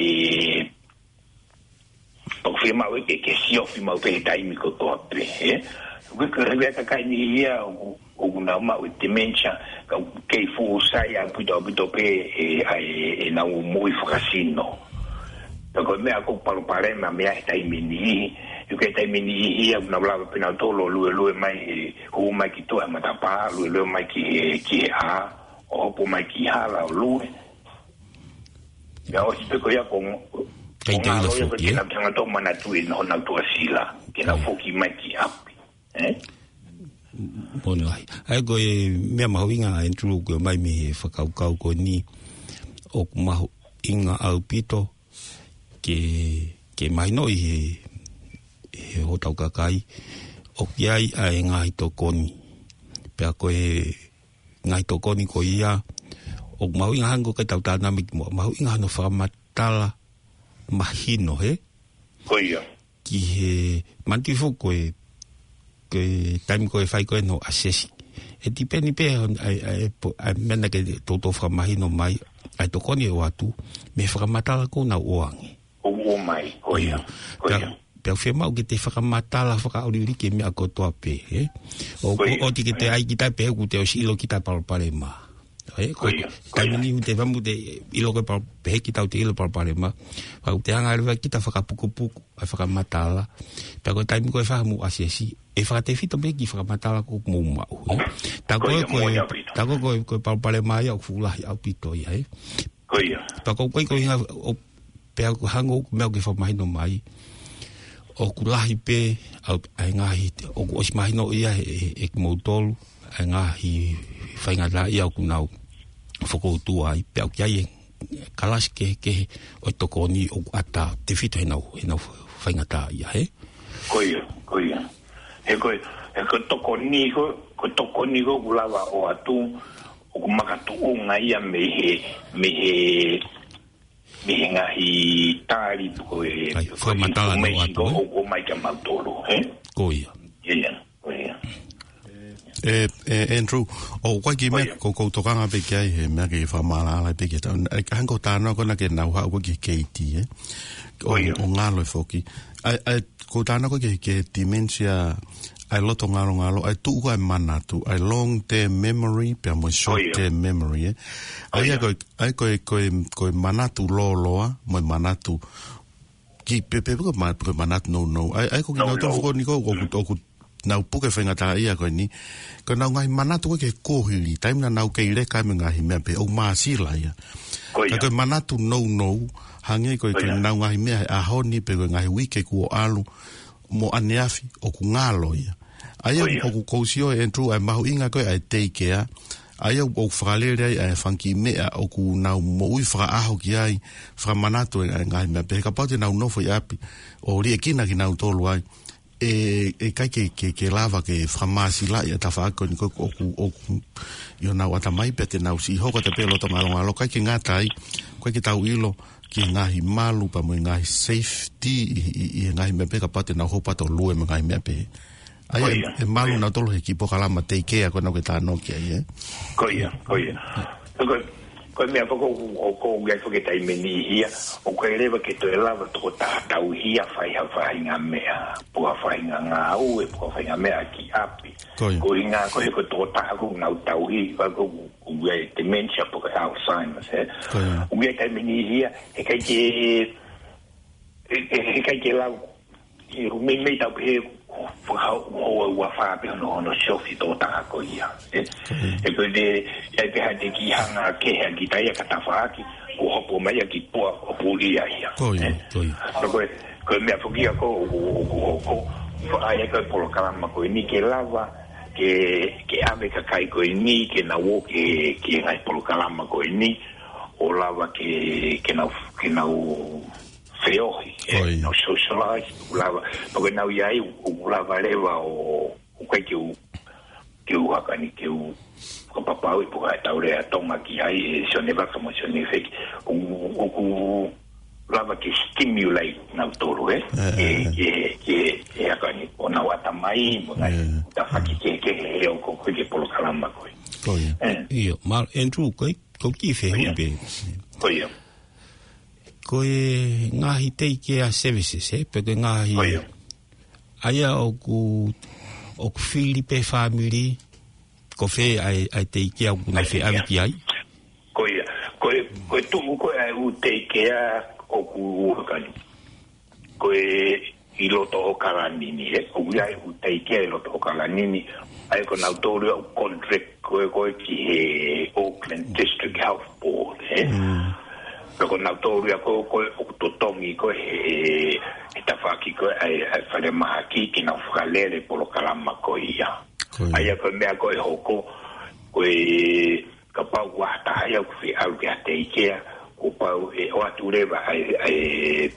ʻoku fiemaʻu ke, ke siofi maʻu pē he taimi kotoa pē, ē? ʻOku ʻi ai e kakai ʻe niʻihi ia ʻoku, ʻoku nau maʻu e dementia, ka ʻoku kei fuʻu sai ʻaupito, ʻaupito pē ʻe, ʻa e, ʻenau moʻui fakasino. Ka ko e meʻa ʻoku palopalema mei he taimi ʻe niʻihi, ʻoku ʻi ai e taimi ʻe niʻihi ia ʻoku nau lava pē nautolu ʻo luelue mai, ē, hū mai ki tuʻa he matapā, luelue mai ki he, ki he ʻā, ʻo hopo mai ki hala ʻo lue. Pea ʻosi pē ko ia ʻoku, ʻikai ʻoku te ʻilo ngalo ia foki, ke ē? Nau hanga ʻo manatuʻi ʻenau, honau tuʻasila, ke nau, ē, foki mai ki ʻapi. Ē? Moʻoni lahi. ʻA ia ko e meʻa mahuʻinga, Andrew, ko e ʻomai mei he fakakaukau ko eni, ʻoku mahuʻinga ʻaupito ke, ke mahinoʻi ʻe he, ʻe hotau kakai ʻoku ʻi ai ʻa e ngaahi tokoni. Pea ko e ngaahi tokoni ko ia, ʻoku mahuʻinga hangē ko e tau tānaki muʻa, mahuʻinga hono fakamatala mahino, hē? Ko ia. Ki he manatuʻi foki ko e, ko e taimi ko ē ʻe fai ko ē hono assess. ʻE tipeni pē hon-, ʻa e, ʻa e, po-, ʻa e meʻa naʻa ke toutou fakamahino mai, ʻa e tokoni ʻe ʻoatu, mei he fakamatala ʻoku nau ʻoange. ʻO ʻomai, ko ia. Ia. Ko ia. Pea, pea ʻoku fiemaʻu ke te fakamatala fakaʻoliʻoli ki he meʻa kotoa pē, ē? ʻO, ko ia, ʻoua te ke toe ʻai kita pē he ʻoku te ʻosi ʻilo kita e palopalema. Ē, ko ia, ko ia. Taimi ni ʻoku te fakamuʻa te ʻilo ko e pal-, pehē kita ʻoku te ʻilo e palopalema. Pea ʻoku te hanga leva kita ʻo fakapukupuku, ʻa e fakamatala. Pea ko e taimi ko ē ʻe fai ai hoʻomo assess, ʻe fakatefito pē ki he fakamatala ʻoku mou maʻu, ē? Tā ko ē, ko ia, ko e, moʻoni ʻaupito. Tā ko ē, ko e, ko e palopalema ia ʻoku fuʻu lahi ʻaupito ia, ē? Ko ia. Pea ko e, ko e, ko e ʻuhinga, ʻo, pea ʻoku hangē ko e meʻa ʻoku ke fakamahino mai, ʻoku lahi pē ʻa e, ʻa e ngaahi, ʻoku ʻosi mahino ia ʻe, ʻe, ʻe kimoutolu, ʻa e ngaahi faingataʻaʻia ʻoku nau fokoutua ai, pea ʻoku ʻi ai e kalasi kehekehe ʻo e tokoni ʻoku ʻatā tefito heʻenau, heʻenau faingataʻaʻia, hē? Ko ia, ko ia. He ko e, he ko e tokoni ko, ko e tokoni ko ē ʻoku lava ʻo ʻoatu, ʻoku makatuʻunga ia mei he, mei he, mei he ngaahi tali ko ē, ʻa e, ko e fakamatala ʻoku ʻoatu, ē? ʻOku ʻomai kia mautolu, hē? Ko ia. Ia, ia, ko ia. ʻE, ʻe, Andrew, ʻoku ʻi ai e kiʻi meʻa, ko ia, ʻoku ou tokanga pē ki ai he meʻa ke fakamaʻalaʻala pē ki he tau. ʻE, hangē ko e talanoa ko ena ke nau haʻu ko ē ki he K T, ē? Ko ia. ʻO, ʻo ngalo ē foki. ʻA e, ʻa e, ko e talanoa ko ē ki he, ki he dementia, ʻa e loto ngalongalo, ʻa e tuʻu ko ē ʻa e manatu, ʻa e long term memory, pea mo e, ko ia, short term memory, ē? Ko ia. ʻA ia ko e, ʻa ia ko e, ko e, ko e manatu lōloa, mo e manatu ki pē, pē, ko e ma-, ko e manatu nounou. ʻA ia, ʻa ia ko kinautolu, nounou, foki eni ko ē, ʻoku, ʻoku nau puke faingataʻaʻia ko eni. Ko ʻenau ngaahi manatu ko ē ki he kuohili, taimi naʻa nau kei leka ai mo e ngaahi meʻa pehē, ʻoku māsila ia. Ko ia. Ka ko e manatu nounou, hangē ko e, ko ia, ko ʻenau ngaahi meʻa he ʻaho ni pe ko e ngaahi uike kuo ʻalu, mo ʻaneafi, ʻoku ngalo ia. ʻA ia, ko ia, ʻoku ou sio, Andrew, ʻa e mahuʻinga ko ē ʻa e teikea, ʻA ia ʻoku fakalele ai ʻa e fanga kiʻi meʻa ʻoku nau moʻui fakaʻaho ki ai, fakamanatu e ngaahi meʻa pehē, kapau te nau nofo ʻi ʻapi ʻo liʻekina kinautolu ai. ʻE, ʻe ʻikai ke, ke, ke lava ke fakamāsilaʻi ʻa e tafaʻaki ko eni ko ē ʻoku, ʻoku ʻi honau ʻatamai pea te nau siʻi hoko atu pē loto ngalongalo, ʻikai ke ngata ai, ʻikai ke tau ʻilo ki he ngaahi malu pea mo e ngaahi safety ʻi, ʻi, ʻi he ngaahi meʻa pehē kapau te nau hopo atu ʻo lue mo e ngaahi meʻa pehē. ʻA ia, ʻe malu nautolu he kiʻi polokalama teikea ko ena ʻoku ke talanoa ki ai, ē? Ko ia, ko ia. Ko, ko e meʻa pē ko, ko, ko ia ko e taimi ni ia, ʻoku ʻikai leva ke toe lava tokotaha tauhi ʻo fai ha faʻahinga meʻa, pe ko ha faʻahinga ngāue, pe ko ha faʻahinga meʻa ki ʻapi. Ko ia. Ko e ʻuhinga ko e ko e tokotaha ʻoku nau tauhi, ʻa ia ko, ko e dementia pe ko e Alzheimer's, ē? Ko ia. ʻOku ʻikai taimi ni ia, ʻe ʻikai ke, ʻe, ʻe, ʻe ʻikai ke lau, ʻe, meimei tau pehē, fakahoa ua fā pē hono, hono siofi tokotaha ko ia, ē? ʻE ko e te, ʻe pehē te ke hanga ke hea ki taia ka tafaʻaki, ʻo hopo mai ia ki tua ʻo puli ia ia. Ko ia, ē? Ko ia. Ko e, ko e meʻa foki ia ko, ʻo, ʻo, ʻo, ʻo, fakaʻai ko e polokalama ko eni ke lava, ke, ke ʻave kakai ko eni, ke nau ō ke, ke ngaahi polokalama ko eni, ʻo lava ke, ke nau, ke nau feohi, ē, Ko ia. nau socialize, ʻoku lava, pea ko e nau ʻi ai, ʻoku lava leva ʻo, ʻo ʻikai ke u, ke u haka ni ke u, ko papau i puka e tau lea Tonga ki ai, ʻe Sione Vaka mo Sione Feki, ʻoku, ʻoku lava ke stimulate nautolu, ē, Ē, ē, ke, ē. ke, ke, ke haka ni, ʻo nau ʻatamai, mo ngai, Ē. tafaʻaki ke, ke, he ʻoku, ko e ke polokalama ko ē. Ko ia. Ē. ʻIo, ma, Andrew, ko e, ko e kiʻi fehuʻi Ko ia. pē. Ko ia. Ko e ngaahi teikea services, ē? Pe ko e ngaahi Ko ia. ʻA ia ʻoku, ʻoku fili pē fāmili, ko fē ʻa e, ʻa e teikea ʻoku nau ʻA e teikea. feʻaveʻaki ai? Ko ia. Ko e, ko e tuʻu ko ē ʻa e ʻū teikea ʻoku ua kani. Ko e ʻi loto ʻAokalani ni, ē? ʻOku ʻi ai e ʻū teikea ʻi loto ʻAokalani ni, ʻa ia ko nautolu ia ʻoku contract ko ē, ko ē ki he Auckland District Health Board, ē? Mm. Pea ko nautolu ia ko ē, ko ē ʻoku totongi ko ē he, he tafaʻaki ko ē ʻa e, ʻa e falemahaki ke nau fakalele polokalama ko ia. Ko ia. ʻA ia ko e meʻa ko ē ʻe hoko, ko e kapau ʻoku ʻi ai ha taha ia ʻoku fie ʻalu ki ha teikea, kuo pau ʻe ʻoatu leva ʻa e, ʻa e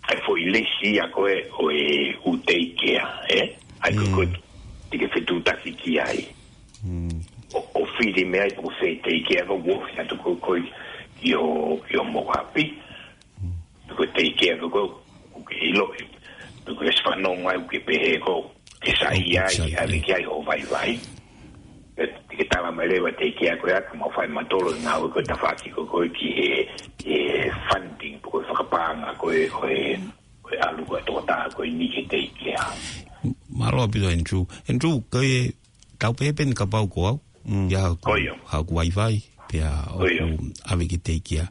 ʻa e foʻi lesi ia ko ē ʻo e ʻū teikea, ē? ʻA ia ko, Mm. ko e te ke fetuʻutaki ki ai. Mm. ʻO, ʻo fili mei ai pe ko fē teikea ko ē ʻoku ofi atu ko ē, ko ē ʻi ho, ʻi homou ʻapi. Mm. Pe ko e teikea ko ē ʻoku ke ʻiloʻi. Pe ko e fanongo ai ʻoku ke pehē ko ē ke sai ʻOku ai, sai, ke ʻave ē. ki ai hoʻo vaivai. Ke, ke tala mai leva teikea ko ē ʻoku mau fai mautolu ngāue ko e tafaʻaki ko ē ko ē ki he, he funding, ko e fakapaʻanga ko ē, ko e, ko e ʻalu ko ē tokotaha ko eni ki he teikea. Mālō ʻaupito, Andrew. Andrew, ko e tau pehē pē eni kapau ko au. Mm. ʻI ai haʻaku, Ko ia. haʻaku vaivai, pea Ko ia. ʻoku ʻave ki he teikea.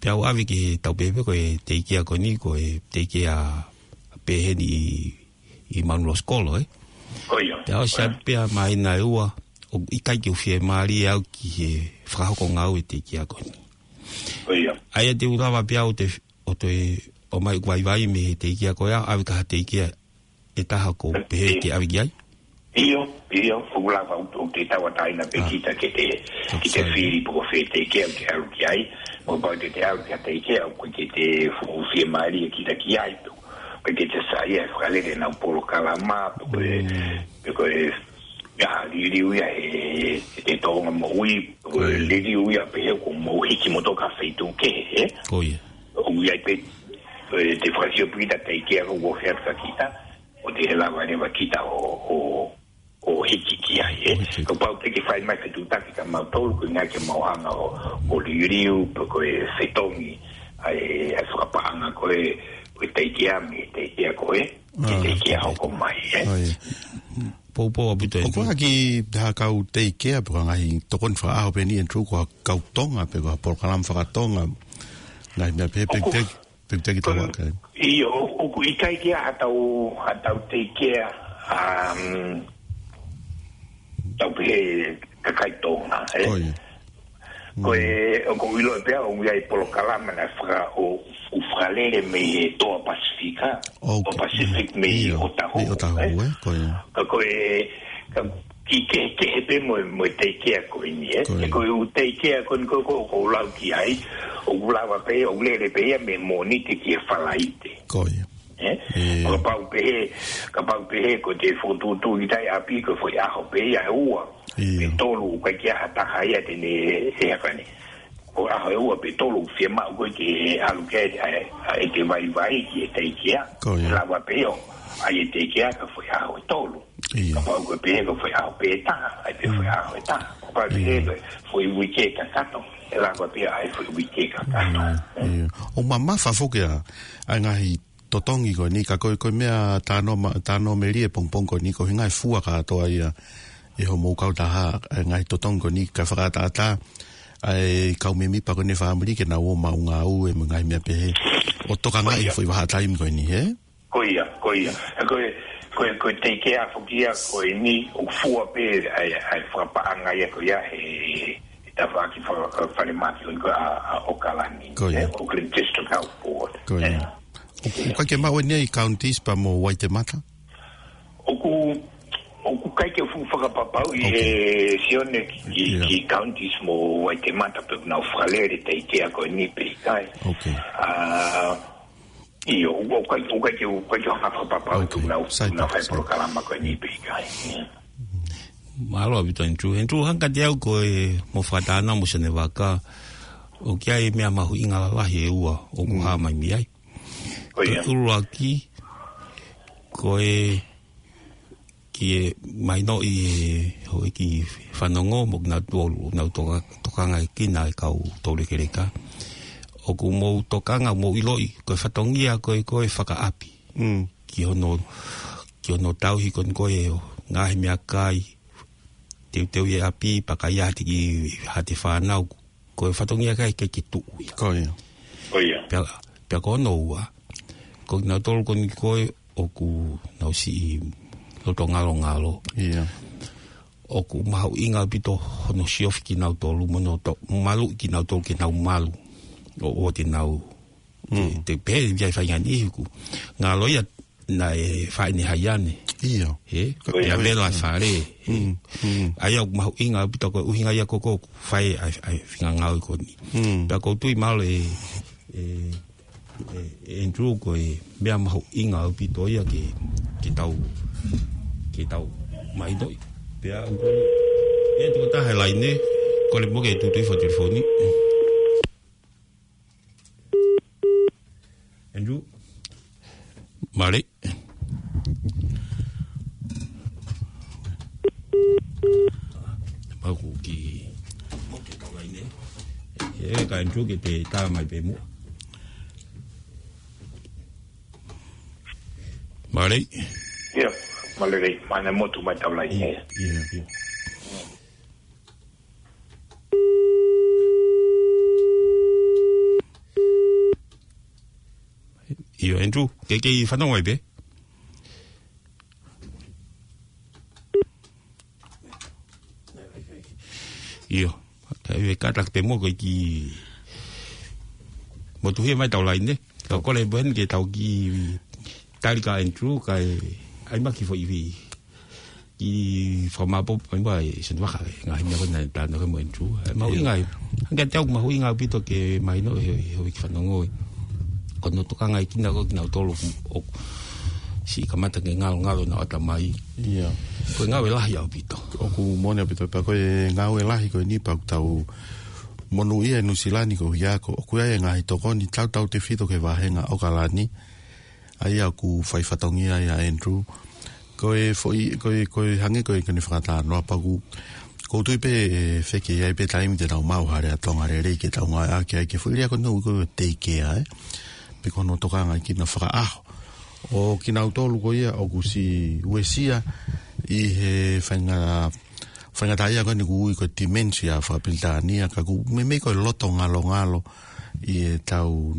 Pea u ʻave ki he tau pehē pē ko e teikea ko eni, ko e teikea pehē ni ʻi, ʻi Manuʻiloto Sikolo, ē? Ko ia. Pea ʻosi Ko ia. atu pea māhina ʻe ua, ʻoku ʻikai ke u fiemālie au ki he fakahoko ngāue teikea ko eni. Ko ia. ʻA ia te u lava pē au te, ʻo toe, ʻomai ʻeku vaivai mei he teikea ko ia, ʻave ki ha teikea ʻe taha ʻoku pehē ʻIo. ke ʻave ki ai? ʻIo, ʻio, ʻoku lava ʻo, ʻo te tauʻatāina pē Ah. kita ke te, Ka ke te sai. fili pe ko fē teikea ʻoku ke ʻalu ki ai. Mo pau te te ʻalu ki ha teikea ʻoku ʻikai ke te fuʻu fiemālie kita ki ai. Pe ʻoku ʻikai ke te saiʻia he fakalele ʻenau polokalama, pe ko e, Mm. pe ko e, ʻa e liliu ia he, he Tonga Moʻui, pe ko e Mm. liliu ia pehē ʻoku mou hiki moutolu ki ha feituʻu kehe, ē? Ko ia. ʻOku ʻi ai pē, ē, te fakasio pē kita teikea ʻoku ofi atu kia kita, ʻo te lava leva kita ʻo, ʻo, ʻo hiki ki ai, ē. ʻO hiki. Kapau te ke fai mai fetuʻutaki kia mautolu, ko e ʻuhinga ke mau hanga ʻo, ʻo liliu, pe ko e fetongi, ʻa e, ʻa e fakapaʻanga ko ē, ko e teikea mei he teikea ko ē, ki he Ah, teikea ok. hoko mai, ē. ʻA ia. Poupou ʻaupito ʻOku ʻi ai ha kiʻi taha kau teikea, pe ko e ngaahi tokoni fakaʻaho pē eni, Andrew, ko ha kau Tonga, pe ko ha polokalama fakatonga, ngaahi meʻa pehē, pe ʻOku te, pe te ki ko, tau aka. ʻIo, ʻoku ʻikai ke ʻi ai ha tau, ha tau teikea, um, tau pehē kakai Tonga, ē? Ko ia. Ko e, Mm. ʻoku ou ʻilo pē au, ʻoku ʻi ai e polokalama naʻe faka-, ʻo, ʻo fakalele mei he Toa Pasifika, ʻOku, Toa Pacific mei ʻIo, Otahu, mei Otahu, ē? ē? Ko ia. Ka ko e, ka kiʻi kehekehe pē mo, mo e teikea ko eni, ē. Ko ia. He ko e ʻū teikea ko eni ko, ko, ko u lau ki ai, ʻoku lava pē, ʻoku lele pē ia mei he Mōnite ki he Falaite. Ko ia. Ē? Ē. Kapau pehē, kapau pehē ko te fokotuʻutuʻu ki tai ʻapi ko e foʻi ʻaho pē ia ʻe ua. Ia. Pe tolu, ʻoku ʻikai ke ʻi ai ha taha ia te ne, ʻe haka ni. Ko e ʻaho ʻe ua pe tolu, fiemaʻu ko ē ke ʻalu ki ai, ʻa e, ʻa e ʻeke vaivai ki he teikea. Ko ia. Lava pē ʻo ʻai e teikea ki he foʻi ʻaho ʻe tolu. Ia. Kapau ko e pehē ko e foʻi ʻaho pē taha, ʻai pē foʻi ʻaho ʻe taha. Kapau pehē ko e foʻi uike kakato, ʻe lava pē ʻai foʻi uike kakato. Ia, ia. ʻOku mamafa foki ʻa, ʻa e ngaahi totongi ko eni, ka ko e, ko e meʻa tano ma-, tano melie pongipongi ko eni, ko e ngaahi fua kātoa ia ʻe hoʻomou kautaha, ʻa e ngaahi totongi ko eni, ka fakaʻataʻatā ʻa e kau mēmipa ko eni fāmili ke nau ō maʻu ngāue mo e ngaahi meʻa pehē. ʻO tokangaʻi e foʻi vahaʻa taimi ko eni, hē? Ko ia, ko ia. Ko e, ko e, ko e teikea foki ia ko eni, ʻoku fua pē ʻa e, ʻa e fakapaʻanga ia ko ia he, he tafaʻaki fa-, falemahaki ko eni ko ē ʻa, ʻa ʻAokalani. Ko ia. Ē, Auckland District Health Board. Ko ia. Ē. ʻOku, ʻoku ʻikai ke maʻu eni ʻi counties pea mo Waitemata? ʻOku, ʻoku ʻikai ke fuʻu fakapapauʻi ʻe Sione ki, ki counties mo Waitemata pe ʻoku nau fakalele teikea ko eni pe ʻikai. ʻA, ʻio, ʻoku ʻikai, ʻoku ʻikai ke, ʻoku ʻikai ke u hanga fakapapauʻi pe ʻoku nau, nau fai polokalama ko eni pe ʻikai. Mālō ʻaupito Andrew. Andrew, hangē kiate au ko e mo fakatātā mo Sione Vaka, ʻoku ʻi ai e meʻa mahuʻinga lalahi ʻe ua ʻoku hā mai mei ai. Ko ia. Ko e ʻuluaki, ko e ke mahinoʻi e houʻeiki fanongo mo kinautolu, nau toka-, tokangaʻi kinautolu e kau toulekeleka. ʻOku mou tokanga, mou ʻiloʻi, ko e fatongia ko ē, ko e fakaʻapi. Ki hono, ki hono tauhi ko eni ko ē ʻo ngaahi meʻakai, teuteu e ʻapi, pea ka ʻi ai ha kiʻi, ha kiʻi fānau, ko e fatongia ʻikai ke, ke tuʻu ia. Ko ia. Ko ia. Pea, pea ko hono ua, ko kinautolu ko eni ko ē ʻoku nau siʻi loto ngalongalo. Ia. ʻOku mahuʻinga ʻaupito hono siofi kinautolu, mo hono to-, maluʻi kinautolu ke nau malu. ʻO, ʻo te nau, te, te pehē ia ʻi he faʻahinga niʻihi ʻoku ngalo ia naʻe faʻa ʻi ai ʻene haiane. Ia. Ē? Ko ia. Pea vela e fale. ʻA ia ʻoku mahuʻinga ʻaupito ko e ʻuhinga ia ko ē ʻoku fai ai, ʻa e fingangau ko eni. Pea ʻoku ou tui mahalo ē, ē, ē, ē, Andrew, ko e meʻa mahuʻinga ʻaupito ia ke, ke tau, ke tau mahinoʻi. Pea ʻoku, ē, tuʻu ʻa e taha he laine, kole mo ke tutuʻi foʻi telefoni. Andrew. Mālō. Pea ʻoku ki. Mo ke tau laine. Ē, ka Andrew ke te tā mai pē muʻa. Mālō. Ia, mālō, mālō mo tu mai tau laine. Ia, ia. ʻIo, Andrew, ke, ke fanongo ai pē. ʻIo, ka ʻi he kātaki pē mo ko e ki motuhia mai tau laine. Ka kole pē heni ke tau kiʻi tali kia Andrew, kae ʻai mai ha kiʻi foʻi kiʻi fakamaʻopoʻopo mai ʻe Sione Vaka e ngaahi meʻa ko ē naʻe talanoa ki ai mo Andrew. ʻE mahuʻinga ai. Hangē kiate au ʻoku mahuʻinga ʻaupito ke mahino ʻe he, he houʻeiki fanongo ē. Ko hono tokangaʻi kinautolu ʻoku, ʻoku siʻi kamata ke ngalongalo ʻenau ʻatamai. Ia. Ko e ngāue lahi ʻaupito. ʻOku moʻoni ʻaupito pea ko e ngāue lahi ko eni pea ʻoku tau monūʻia ʻi Nuʻusila ni ko ia ko, ʻoku ʻi ai e ngaahi tokoni tautautefito ki he vāhenga ʻAokalani. ʻA ia ʻoku fai fatongia ai ʻa Andrew. Ko e foʻi, ko e, ko e hangē ko e, ko ʻene fakatalanoa pea ʻoku, ʻoku ou tui pē ʻe feke ʻi ai pē taimi te tau maʻu ha lea Tonga lelei ke tau ngāueʻaki ai ki he foʻi lea ko eni ʻoku ui ko e take care, ē. Pe ko hono tokangaʻi kinautolu fakaʻaho. ʻO kinautolu ko ia ʻoku siʻi uesia ʻi he fainga-, faingataʻaʻia ko eni ʻoku ui ko e dementia fakapilitānia, ka ʻoku meimei ko e loto ngalongalo ʻi heʻetau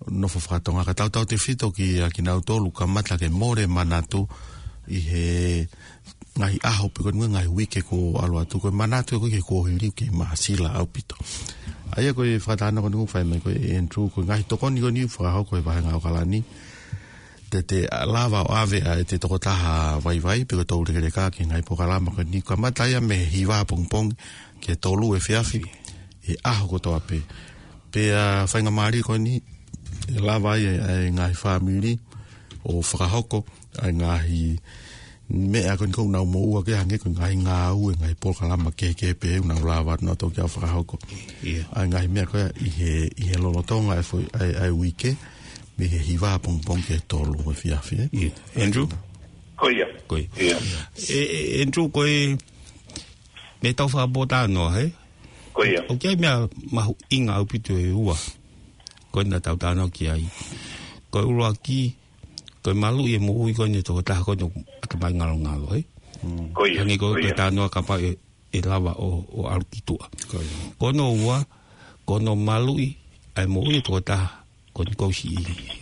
nofo fakatonga, ka tautautefito kia kinautolu kamata ke mole manatu ʻi he ngaahi ʻaho pe ko e ngaahi uike kuo ʻalu atu, ko e manatu ko ē ki he kuohili ʻoku kei māsila ʻaupito. ʻA ia ko e fakatalanoa ko eni ʻoku fai mai ko ē ʻe Andrew, ko e ngaahi tokoni ko eni ʻoku fakahoko ʻe he vāhenga ʻAokalani. te te lava ʻo ʻave ʻa e te tokotaha vaivai, pe ko e toulekeleka ki he ngaahi polokalama ko eni. Kamata ia mei he hiva pongipongi ki he tolu efiafi, he ʻaho kotoa pē. Pea faingamālie ko eni, ʻe lava ai ʻa e ngaahi fāmili ʻo fakahoko ʻa e ngaahi meʻa ko eni ʻoku nau moʻua ki ai, hangē ko e ngaahi ngāue, ngaahi polokalama kehekehe pē ʻoku nau lava atu nautolu ke nau fakahoko. ʻIo. ʻA e ngaahi meʻa ko ia ʻi he, ʻi he lolotonga ʻa e foʻi, ʻa e, ʻa e uike, mei he hiva pongipongi ki he tolu efiafi, ē? ʻIo. Andrew? Ko ia. Ko ia. ʻIo. ʻE, ʻe, Andrew, ko e, mei he tau fakapōtalanoa, ē? Ko ia. ʻOku ʻi ai e meʻa mahuʻinga ʻaupito ʻe ua. Ko ena tau talanoa ki ai. Ko e ʻuluaki, ko e maluʻi e moʻui ko eni ʻa e tokotaha ko eni ʻoku ʻatamai ngalongalo, ē? Mm. Ko ia. Hangē ko e, ko ia, ko e talanoa kapau ʻe, ʻe lava ʻo, ʻo ʻalu ki tuʻa. Ko ia. Ko hono ua, ko hono maluʻi ʻa e moʻui ʻa e tokotaha ko eni ʻoku ʻi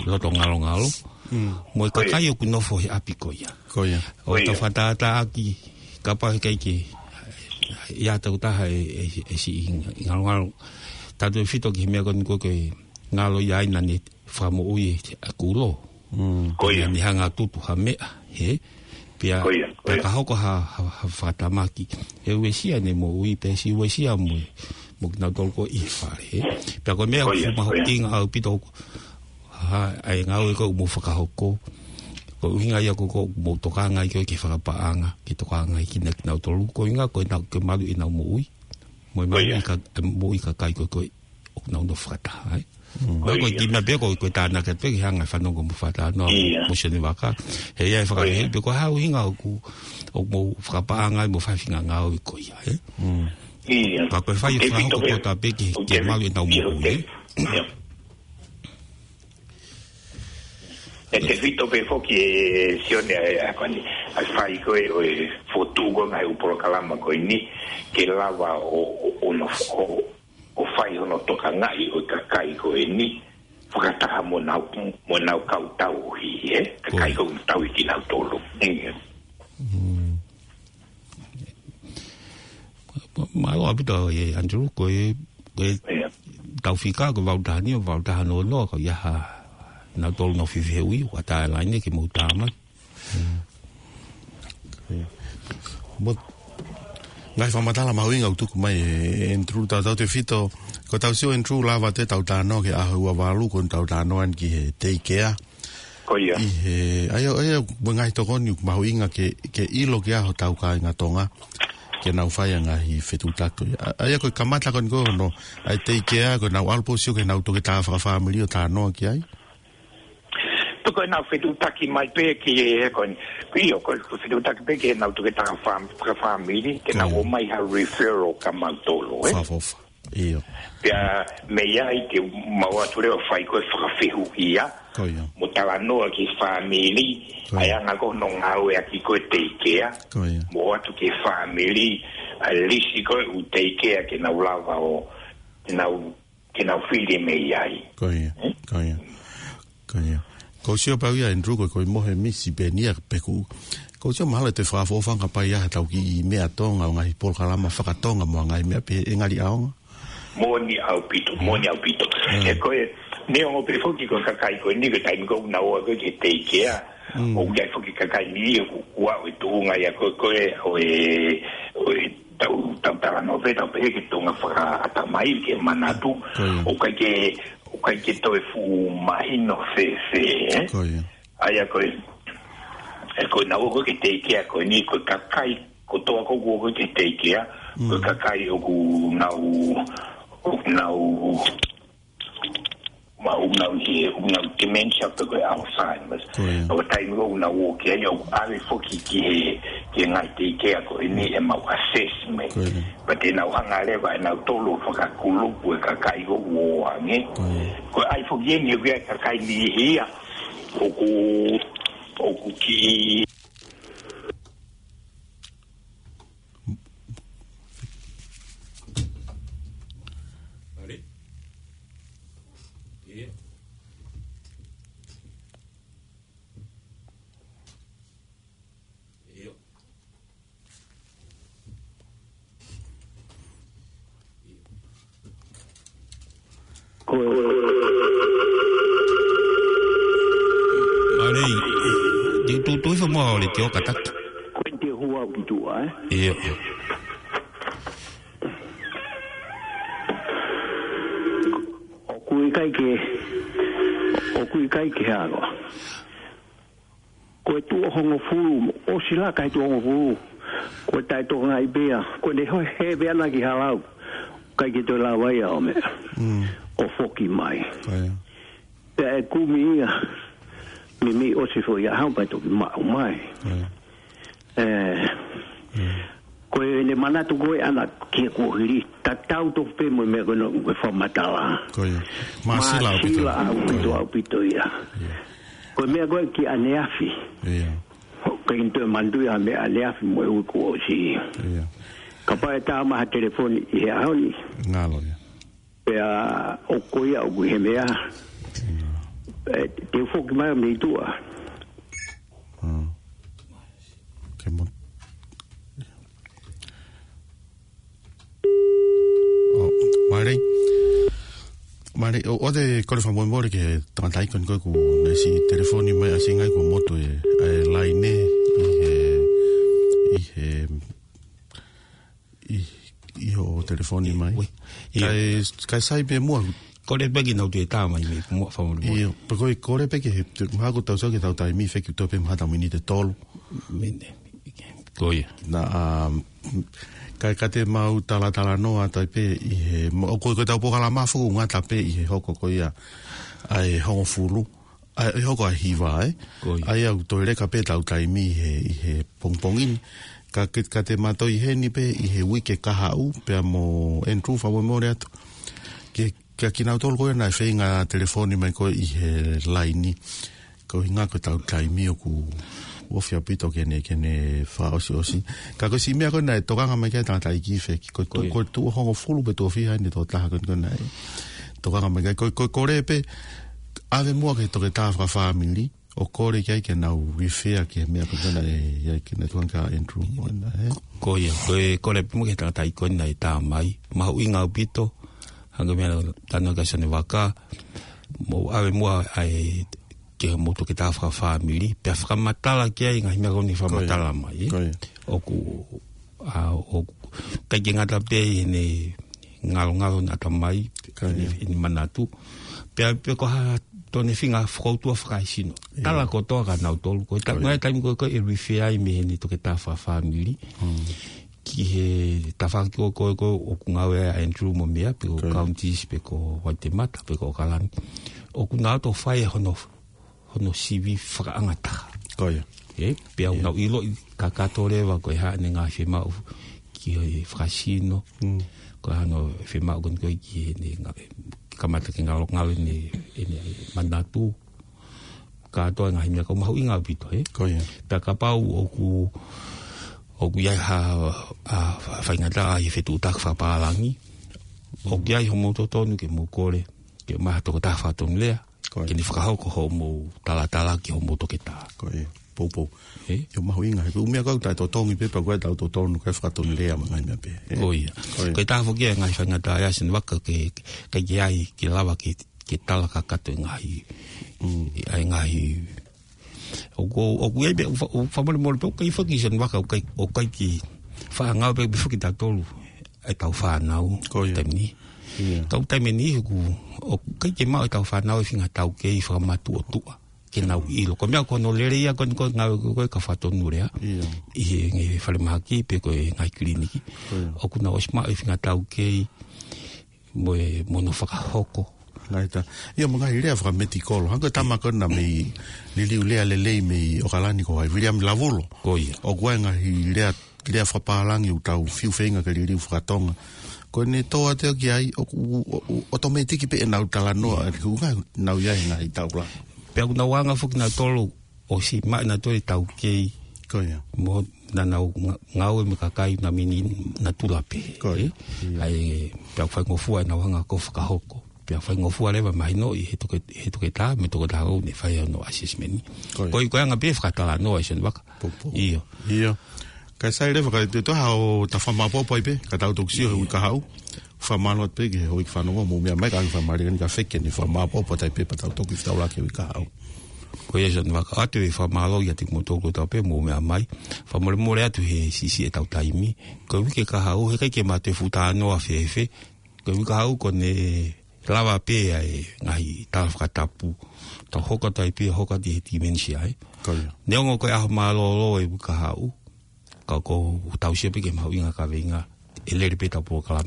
he loto ngalongalo. Mm. Mo e, ko ia, kakai ʻoku nofo he ʻapi ko ia. Ko ia. ʻO, ko ia, tau fakatātā ʻaki, kapau he ʻikai ke ʻi ai ha tokotaha ʻe, ʻe, ʻe siʻi ngalongalo. Tautefito ki he meʻa ko eni ko e ngalo ia ai naʻa ne fakamoʻui ʻa e kulo. Mm. Ko ia. Naʻa ne hanga ʻo tutu ha meʻa, hē? Pea, ko ia, ko ia, pea ka hoko ha, ha, ha fakatamaki, ʻe uesia ʻene moʻui, pea siʻi uesia mo, mo kinautolu ko ē ʻi he fale, hē? Pea ko e meʻa, ko ia, ʻoku, ko ia, mahuʻinga ʻaupito, ha, ʻa e ngāue ko ē ʻoku mou fakahoko. Ko e ʻuhinga ia ko ē ʻoku mou tokanga ai ko ē ki he fakapaʻanga, ke tokanga ai kinautolu. Ko e ʻuhinga ko ʻenau, ke malu ʻenau moʻui. Mo e, ko ia, malu ʻa e ka-, e moʻui ʻa e kakai ko ē ko ē ʻoku nau nofo fakataha ai. Mm. Ko ia. Ko e kiʻi meʻa pē ko ē, ko e tānaki atu pē ke hanga ʻo fanongo mo fakatalanoa, ia, mo Sione Vaka. He ʻe ʻi ai e, ko ia, fakaʻuhinga, pē ko e hā e ʻuhinga ʻoku, ʻoku mou fakapaʻanga ai mo fai e faʻahinga ngāue ko ia, ē? Mm. Ia. Ka ko e fai e, tefito fakahoko pē, kotoa pē ki, ʻoku ke, tefito, malu ʻenau, ia, moʻui, ē? Ia. ʻE tefito pē foki ē Sione ʻa e, ʻa e ko eni, ʻa e fai ko ē ʻo e fokotuʻu ko ē ngaahi ʻū polokalama ko eni, ke lava ʻo, ʻo, ʻo nofo, ʻo, ʻo fai hono tokangaʻi ʻo e kakai ko eni, fakataha mo ʻenau, mo ʻenau kau tauhi, ē? Kakai, ko ia, ʻoku tauhi kinautolu. Ia. Mm. Mālō ʻaupito ē, Andrew, ko e, ko e, ia, tau fika, ko e valu taha nima, valu taha noa noa, ko ia ha, nautolu nofo fefehuʻi, ʻoku ʻatā e laine ke mou tā mai. Mm. Ia. Mo e ngaahi fakamatala mahuʻinga ʻoku tuku mai ʻe Andrew, tautautefito, ko ʻetau sio Andrew, lava atu ʻetau talanoa ki he ʻaho ua valu, ko ʻetau talanoa eni ki he teikea. Ko ia. ʻI he, ʻa ia, ʻa ia, mo e ngaahi tokoni ʻoku mahuʻinga ke, ke ʻilo ki ai hotau kāinga Tonga, ke nau fai ʻa e ngaahi fetuʻutaki. ʻA, ʻa ia ko e kamata ko eni ko hono, ʻa e teikea, ko ʻenau ʻalu pē ʻo sio ki heʻenau toketā fakafāmili ʻo talanoa ki ai. Tuku ʻenau fetuʻutaki mai pē ki he, he ko eni. ʻIo, ko e fetuʻutaki pē ki heʻenau toketā fā-, fakafāmili, ke nau, ko ia, ʻomai ha referral kia mautolu, ē? Fakaʻofoʻofa. ʻIo. Pea mei ai ke mau ō atu leva ʻo fai ko ē fakafehuʻia. Ko ia. Mo talanoa ki he fāmili, ko ia, ʻa e anga ko ē hono ngāueʻaki ko ē e teikea. Ko ia. Mo ō atu ki he fāmili, ʻa e lisi ko ē ʻū teikea ke nau lava ʻo, ke nau, ke nau fili mei ai. Ko ia. Ē? Ko ia. Ko ia. Ko u sio pē au ia Andrew, ko e, ko e mohe misi pē eni ia pe ʻoku, ko u sio mahalo ʻe toe fakaʻofoʻofanga pē ia haʻatau kiʻi meʻa Tonga, ʻo ngaahi polokalama fakatonga mo e ngaahi meʻa pehē, ʻe ngali ʻaonga. Moʻoni ʻaupito, mm, moʻoni ʻaupito. Mm. He ko e, neongo pē foki ko e kakai ko eni ko e taimi ko ē ʻoku nau ō ko ē ki he teikea, mm, ʻoku ʻi ai foki e kakai ni ʻoku, ʻoku ʻi ai e tuʻunga ia ko ē, ko ē, ʻo e, ʻo e tau, tau talanoa pē, tau pehē ki he tuʻunga fakaʻatamai, ki he manatu, ko ia, ʻoku ʻikai ke, ʻoku ʻikai ke toe fuʻu mahino fēfē, ē? Ko ia. ʻA ia ko e, ē, ko ʻenau ō ko ē ki he teikea ko eni, ko e kakai kotoa ko ē ʻoku ō ko ē ki he teikea, mm, ko e kakai ʻoku nau, ʻoku nau, ma, ʻoku nau ʻi he, ʻoku nau dementia pe ko e Alzheimer's. Ko ia. ʻO taimi ʻoku nau ō ki ai, ʻoku ʻave foki ki he, ki he ngaahi teikea ko eni ʻemau assessment. Ko ia. Pea te nau hanga leva ʻe nautolu ʻo fakakulupu e kakai ʻoku ō ange. Ko ia. Ko e ʻai foki eni ʻoku ʻi ai e kakai niʻihi ia ʻoku, ʻoku kiʻi Ko e, ʻa e, ʻo le tio kataki. Ko e te hua ki tuʻa, ē? Ia. ʻOku ʻikai ke, ʻoku ʻikai ke halo. Ko e tuʻo hongofulu, ʻosi laka he tuʻo hongofulu. Ko e taʻetokangaʻi pea, ko ʻene hoe he pea na ki halau. ʻIkai ke toe lava ia ʻo meʻa. Mm. ʻO foki mai. Ko ia. Pea ʻe kumi ia, meimei ʻosi foʻi ʻaho pea toki maʻu mai. Ko ia. Ē, Mm. ko ʻene manatu ko ē ʻana ki he kuohili, tatau tofu pē mo e meʻa ko ena ʻoku ke fakamatala. Ko ia. Māsila ʻaupito. Māsila ʻaupito, ʻaupito ia. Ia. Ko e meʻa ko ē ki ʻaneafi. Ia. ʻOku ʻikai ke toe manatuʻi ha meʻa ʻaneafi mo e uike kuo ʻosi. Ia. Kapau ʻe tā mai ha telefoni ʻi he ʻaho ni. Ngalo ia. Pea ʻoku ʻi ai ʻoku ʻi he meʻa. Ia. Ē, te u foki mai mei tuʻa. Mm. Ke mo-, ʻo, mālō. Mālō, ʻoku ou kole fakamolemole ki he tangataʻeiki ko eni ko ē kuo ne siʻi telefoni mai ʻasinga ai kuo motu e, e laine ʻi he, ʻi he, ʻi, ʻi hoʻo telefoni mai. Ui. Ia. Kae, kae sai pē muʻa. Kole pē ke nau toe tā mai mei muʻa fakamolemole. Ia, pea ko e kole pē ke he, te, mahalo kuo tau sio ki heʻetau taimi fekauʻaki pē mahalo miniti ʻe tolu. Mene. Ko ia. Na, um, kae, ka te mau talatalanoa atu ai pē ʻi he, mo, ko, ko ʻetau polokalama foki ʻoku ngata pē ʻi he hoko ko ia ʻa e hongofulu, ʻa e hoko ʻa e hiva, ē? Ko ia. ʻA ia ʻoku toe leka pē ʻetau taimi ʻi he, ʻi he pongipongi ni. Ka ke, ka te ma toe ʻi heni pē ʻi he uike kahaʻu, pea mo Andrew fakamolemole atu. Ke Kia kinautolu ko ē naʻe feinga telefoni mai ko ē ʻi he laini. Ko e ʻuhinga ko ʻetau taimi ʻoku ofi ʻaupito ke ne, ke ne fakaʻosiʻosi. Ka ko e siʻi meʻa ko ē naʻe tokanga mai ki ai e tangataʻeiki feki. Ko e tu-, Ko ia. ko e tuʻo hongofulu pe tuʻo fiha ʻene tokotaha ko ē, ko ē naʻe tokanga mai ki ai. Ko e, ko e kole pē, ʻave muʻa ki he toketā fakafāmili. ʻO kole ki ai ke nau refer ki he meʻa ko ē naʻe ʻi ai ke ne tuanga kia Andrew mo ena, ē? Ko ia, ko e kole pē muʻa ki he tangataʻeiki ko ē naʻe tā mai. Mahuʻinga ʻaupito, hangē ko e meʻa naʻa ku talanoa ki ai ʻanenai, mou ʻave muʻa ai ki hoʻomou toketā fakafāmili, pea fakamatala ki ai e ngaahi meʻa ko eni ʻoku fakamatala mai, ē? Ko ia. ʻOku ʻa, ʻoku ʻikai ke ngata pē ʻi heʻene ngalongalo ʻene ʻatamai, Ko ia. ʻene, ʻene manatu. Pea, pea ko ha toe feinga fakaʻotua fakaesino. Ia. Tala kotoa kia nautolu. Ko e ta-, Ko ia. ngaahi taimi ko ē ʻe refer ai mei heʻene toketā fakafāmili. Mm. Ki he tafaʻaki ko ē, ko ē, ko ē ʻoku ngāue ai ʻa Andrew mo meʻa, pe ko Ko ia. Counties, pe ko Waitemata, pe ko ʻOkalani. ʻOku nau toe fai hono hono sivi fakaʻangataha. Ko ia. Ē, pea ʻoku Ia. nau ʻiloʻi kakato leva ko e hā ʻene ngaahi fiemaʻu ki he fakasino. Mm. Ko e hā hono fiemaʻu ko eni ko ē ki heʻene nga-, kamata ke ngalongalo ʻene, ʻene manatu. Kātoa e ngaahi meʻa ʻoku mahuʻinga ʻaupito, ē? Ko ia. Pea kapau ʻoku, ʻoku ʻi ai ha, ha faingataʻa ʻi he fetuʻutaki fakapālangi, ʻoku ʻi ai hoʻomou totonu ke mou kole, ke ʻomai ha tokotaha fakatonulea, Ko ia. ke ne fakahoko hoʻomou talatala ki hoʻomou toketā. Ko ia. Poupou. Ē? ʻIo, mahuʻinga. He ko e ʻū meʻa ko ē ʻoku taʻetotongi pē, pea ko e taʻetotongi, ko e fakatonulea mo e ngaahi meʻa pē. Ē? Ko ia. Ko ia. Ko e taha foki e ngaahi faingataʻa ia ʻa Senivaka ke, ke, ke ʻai, ke lava ke, ke tala kakato e ngaahi, Mm. ʻa e ngaahi ʻOku, ʻoku ʻi ai pē, ʻoku fa-, ʻoku fakamolemole pē, ʻoku ʻikai foki Senivaka, ʻoku ʻikai, ʻoku ʻikai ke faʻa ngāue pē, pē foki tautolu, ʻetau fānau, Ko ia. taimi ni. Ia. Kau taimi ni, ʻoku, ʻoku ʻikai ke maʻu ʻetau fānau e feinga taukei fakamatuʻotuʻa, ke nau ʻilo. Ko e meʻa ko hono lelei ia, ko e, ko e ngāue ko ē, ko e ka fakatonulea. Ia. ʻI he, he falemahaki, pe ko e ngaahi kiliniki. Ko ia. ʻOku nau ʻosi maʻu e feinga taukei, mo e, mo hono fakahoko. Ngaahi tā. ʻIo, mo e ngaahi lea fakamedical. Hangē ko e tama ko ena mei liliu lea lelei mei ʻOkalani ko hai, Viliami Lavulo. Ko ia. ʻOku ʻi ai e ngaahi lea, lea fakapālangi ʻoku tau fiu feinga ke liliu fakatonga. Ko ʻene tō atu ki ai, ʻoku, ʻo, ʻo, ʻotometiki pē ʻenau talanoa, Ia. ʻoku nau ʻi ai e ngaahi taula. Pea ʻoku nau anga foki nautolu, ʻosi maʻu nautolu e taukei. Ko ia. Mo naʻa nau nga-, ngāue mo e kakai naʻa mei natula pē. Ko ia. Ē? Ia. ʻA ia, pea faingofua ʻenau hanga ko ē ʻo fakahoko. Pea faingofua leva mahinoʻi he toke-, he toketā, mo e toketā ʻoku ne fai hono assessment. Ko ia. Ko e, ko e anga pē fakatalanoa ʻa Senivaka. Poupou. ʻIo. ʻIo. Kae sai leva ka te toha ʻo ta fakamāʻopoʻopo ai pē, ka tau toki sio he Ia. uike kahaʻu. Fakamālō atu pē ki he houʻeiki fanongo mo e meʻa mai ka ʻoku fakamālō eni ka feke ni fakamāʻopoʻopo atu ai pē pea tau toki fetaulaki he uike kahaʻu. Ko ia Sione Vaka, ʻoatu e fakamālō ʻiate kimoutolu kotoa pē mou meʻa mai. Fakamolemole atu he siʻisiʻi ʻetau taimi. Ko e uike kahaʻu, heʻikai ke ma toe fuʻu talanoa fēfē. Ko e uike kahaʻu ko ʻene lava pē ʻa e ngaahi tala fakatapu. Tau hoko atu ai pē, hoko atu he dementia, ē. Ko ia. Neongo ko e ʻaho mālōlō e uike kahaʻu, ka ʻoku tau sio pē ki he mahuʻinga kaveinga ʻe lele pē ʻetau polokalama.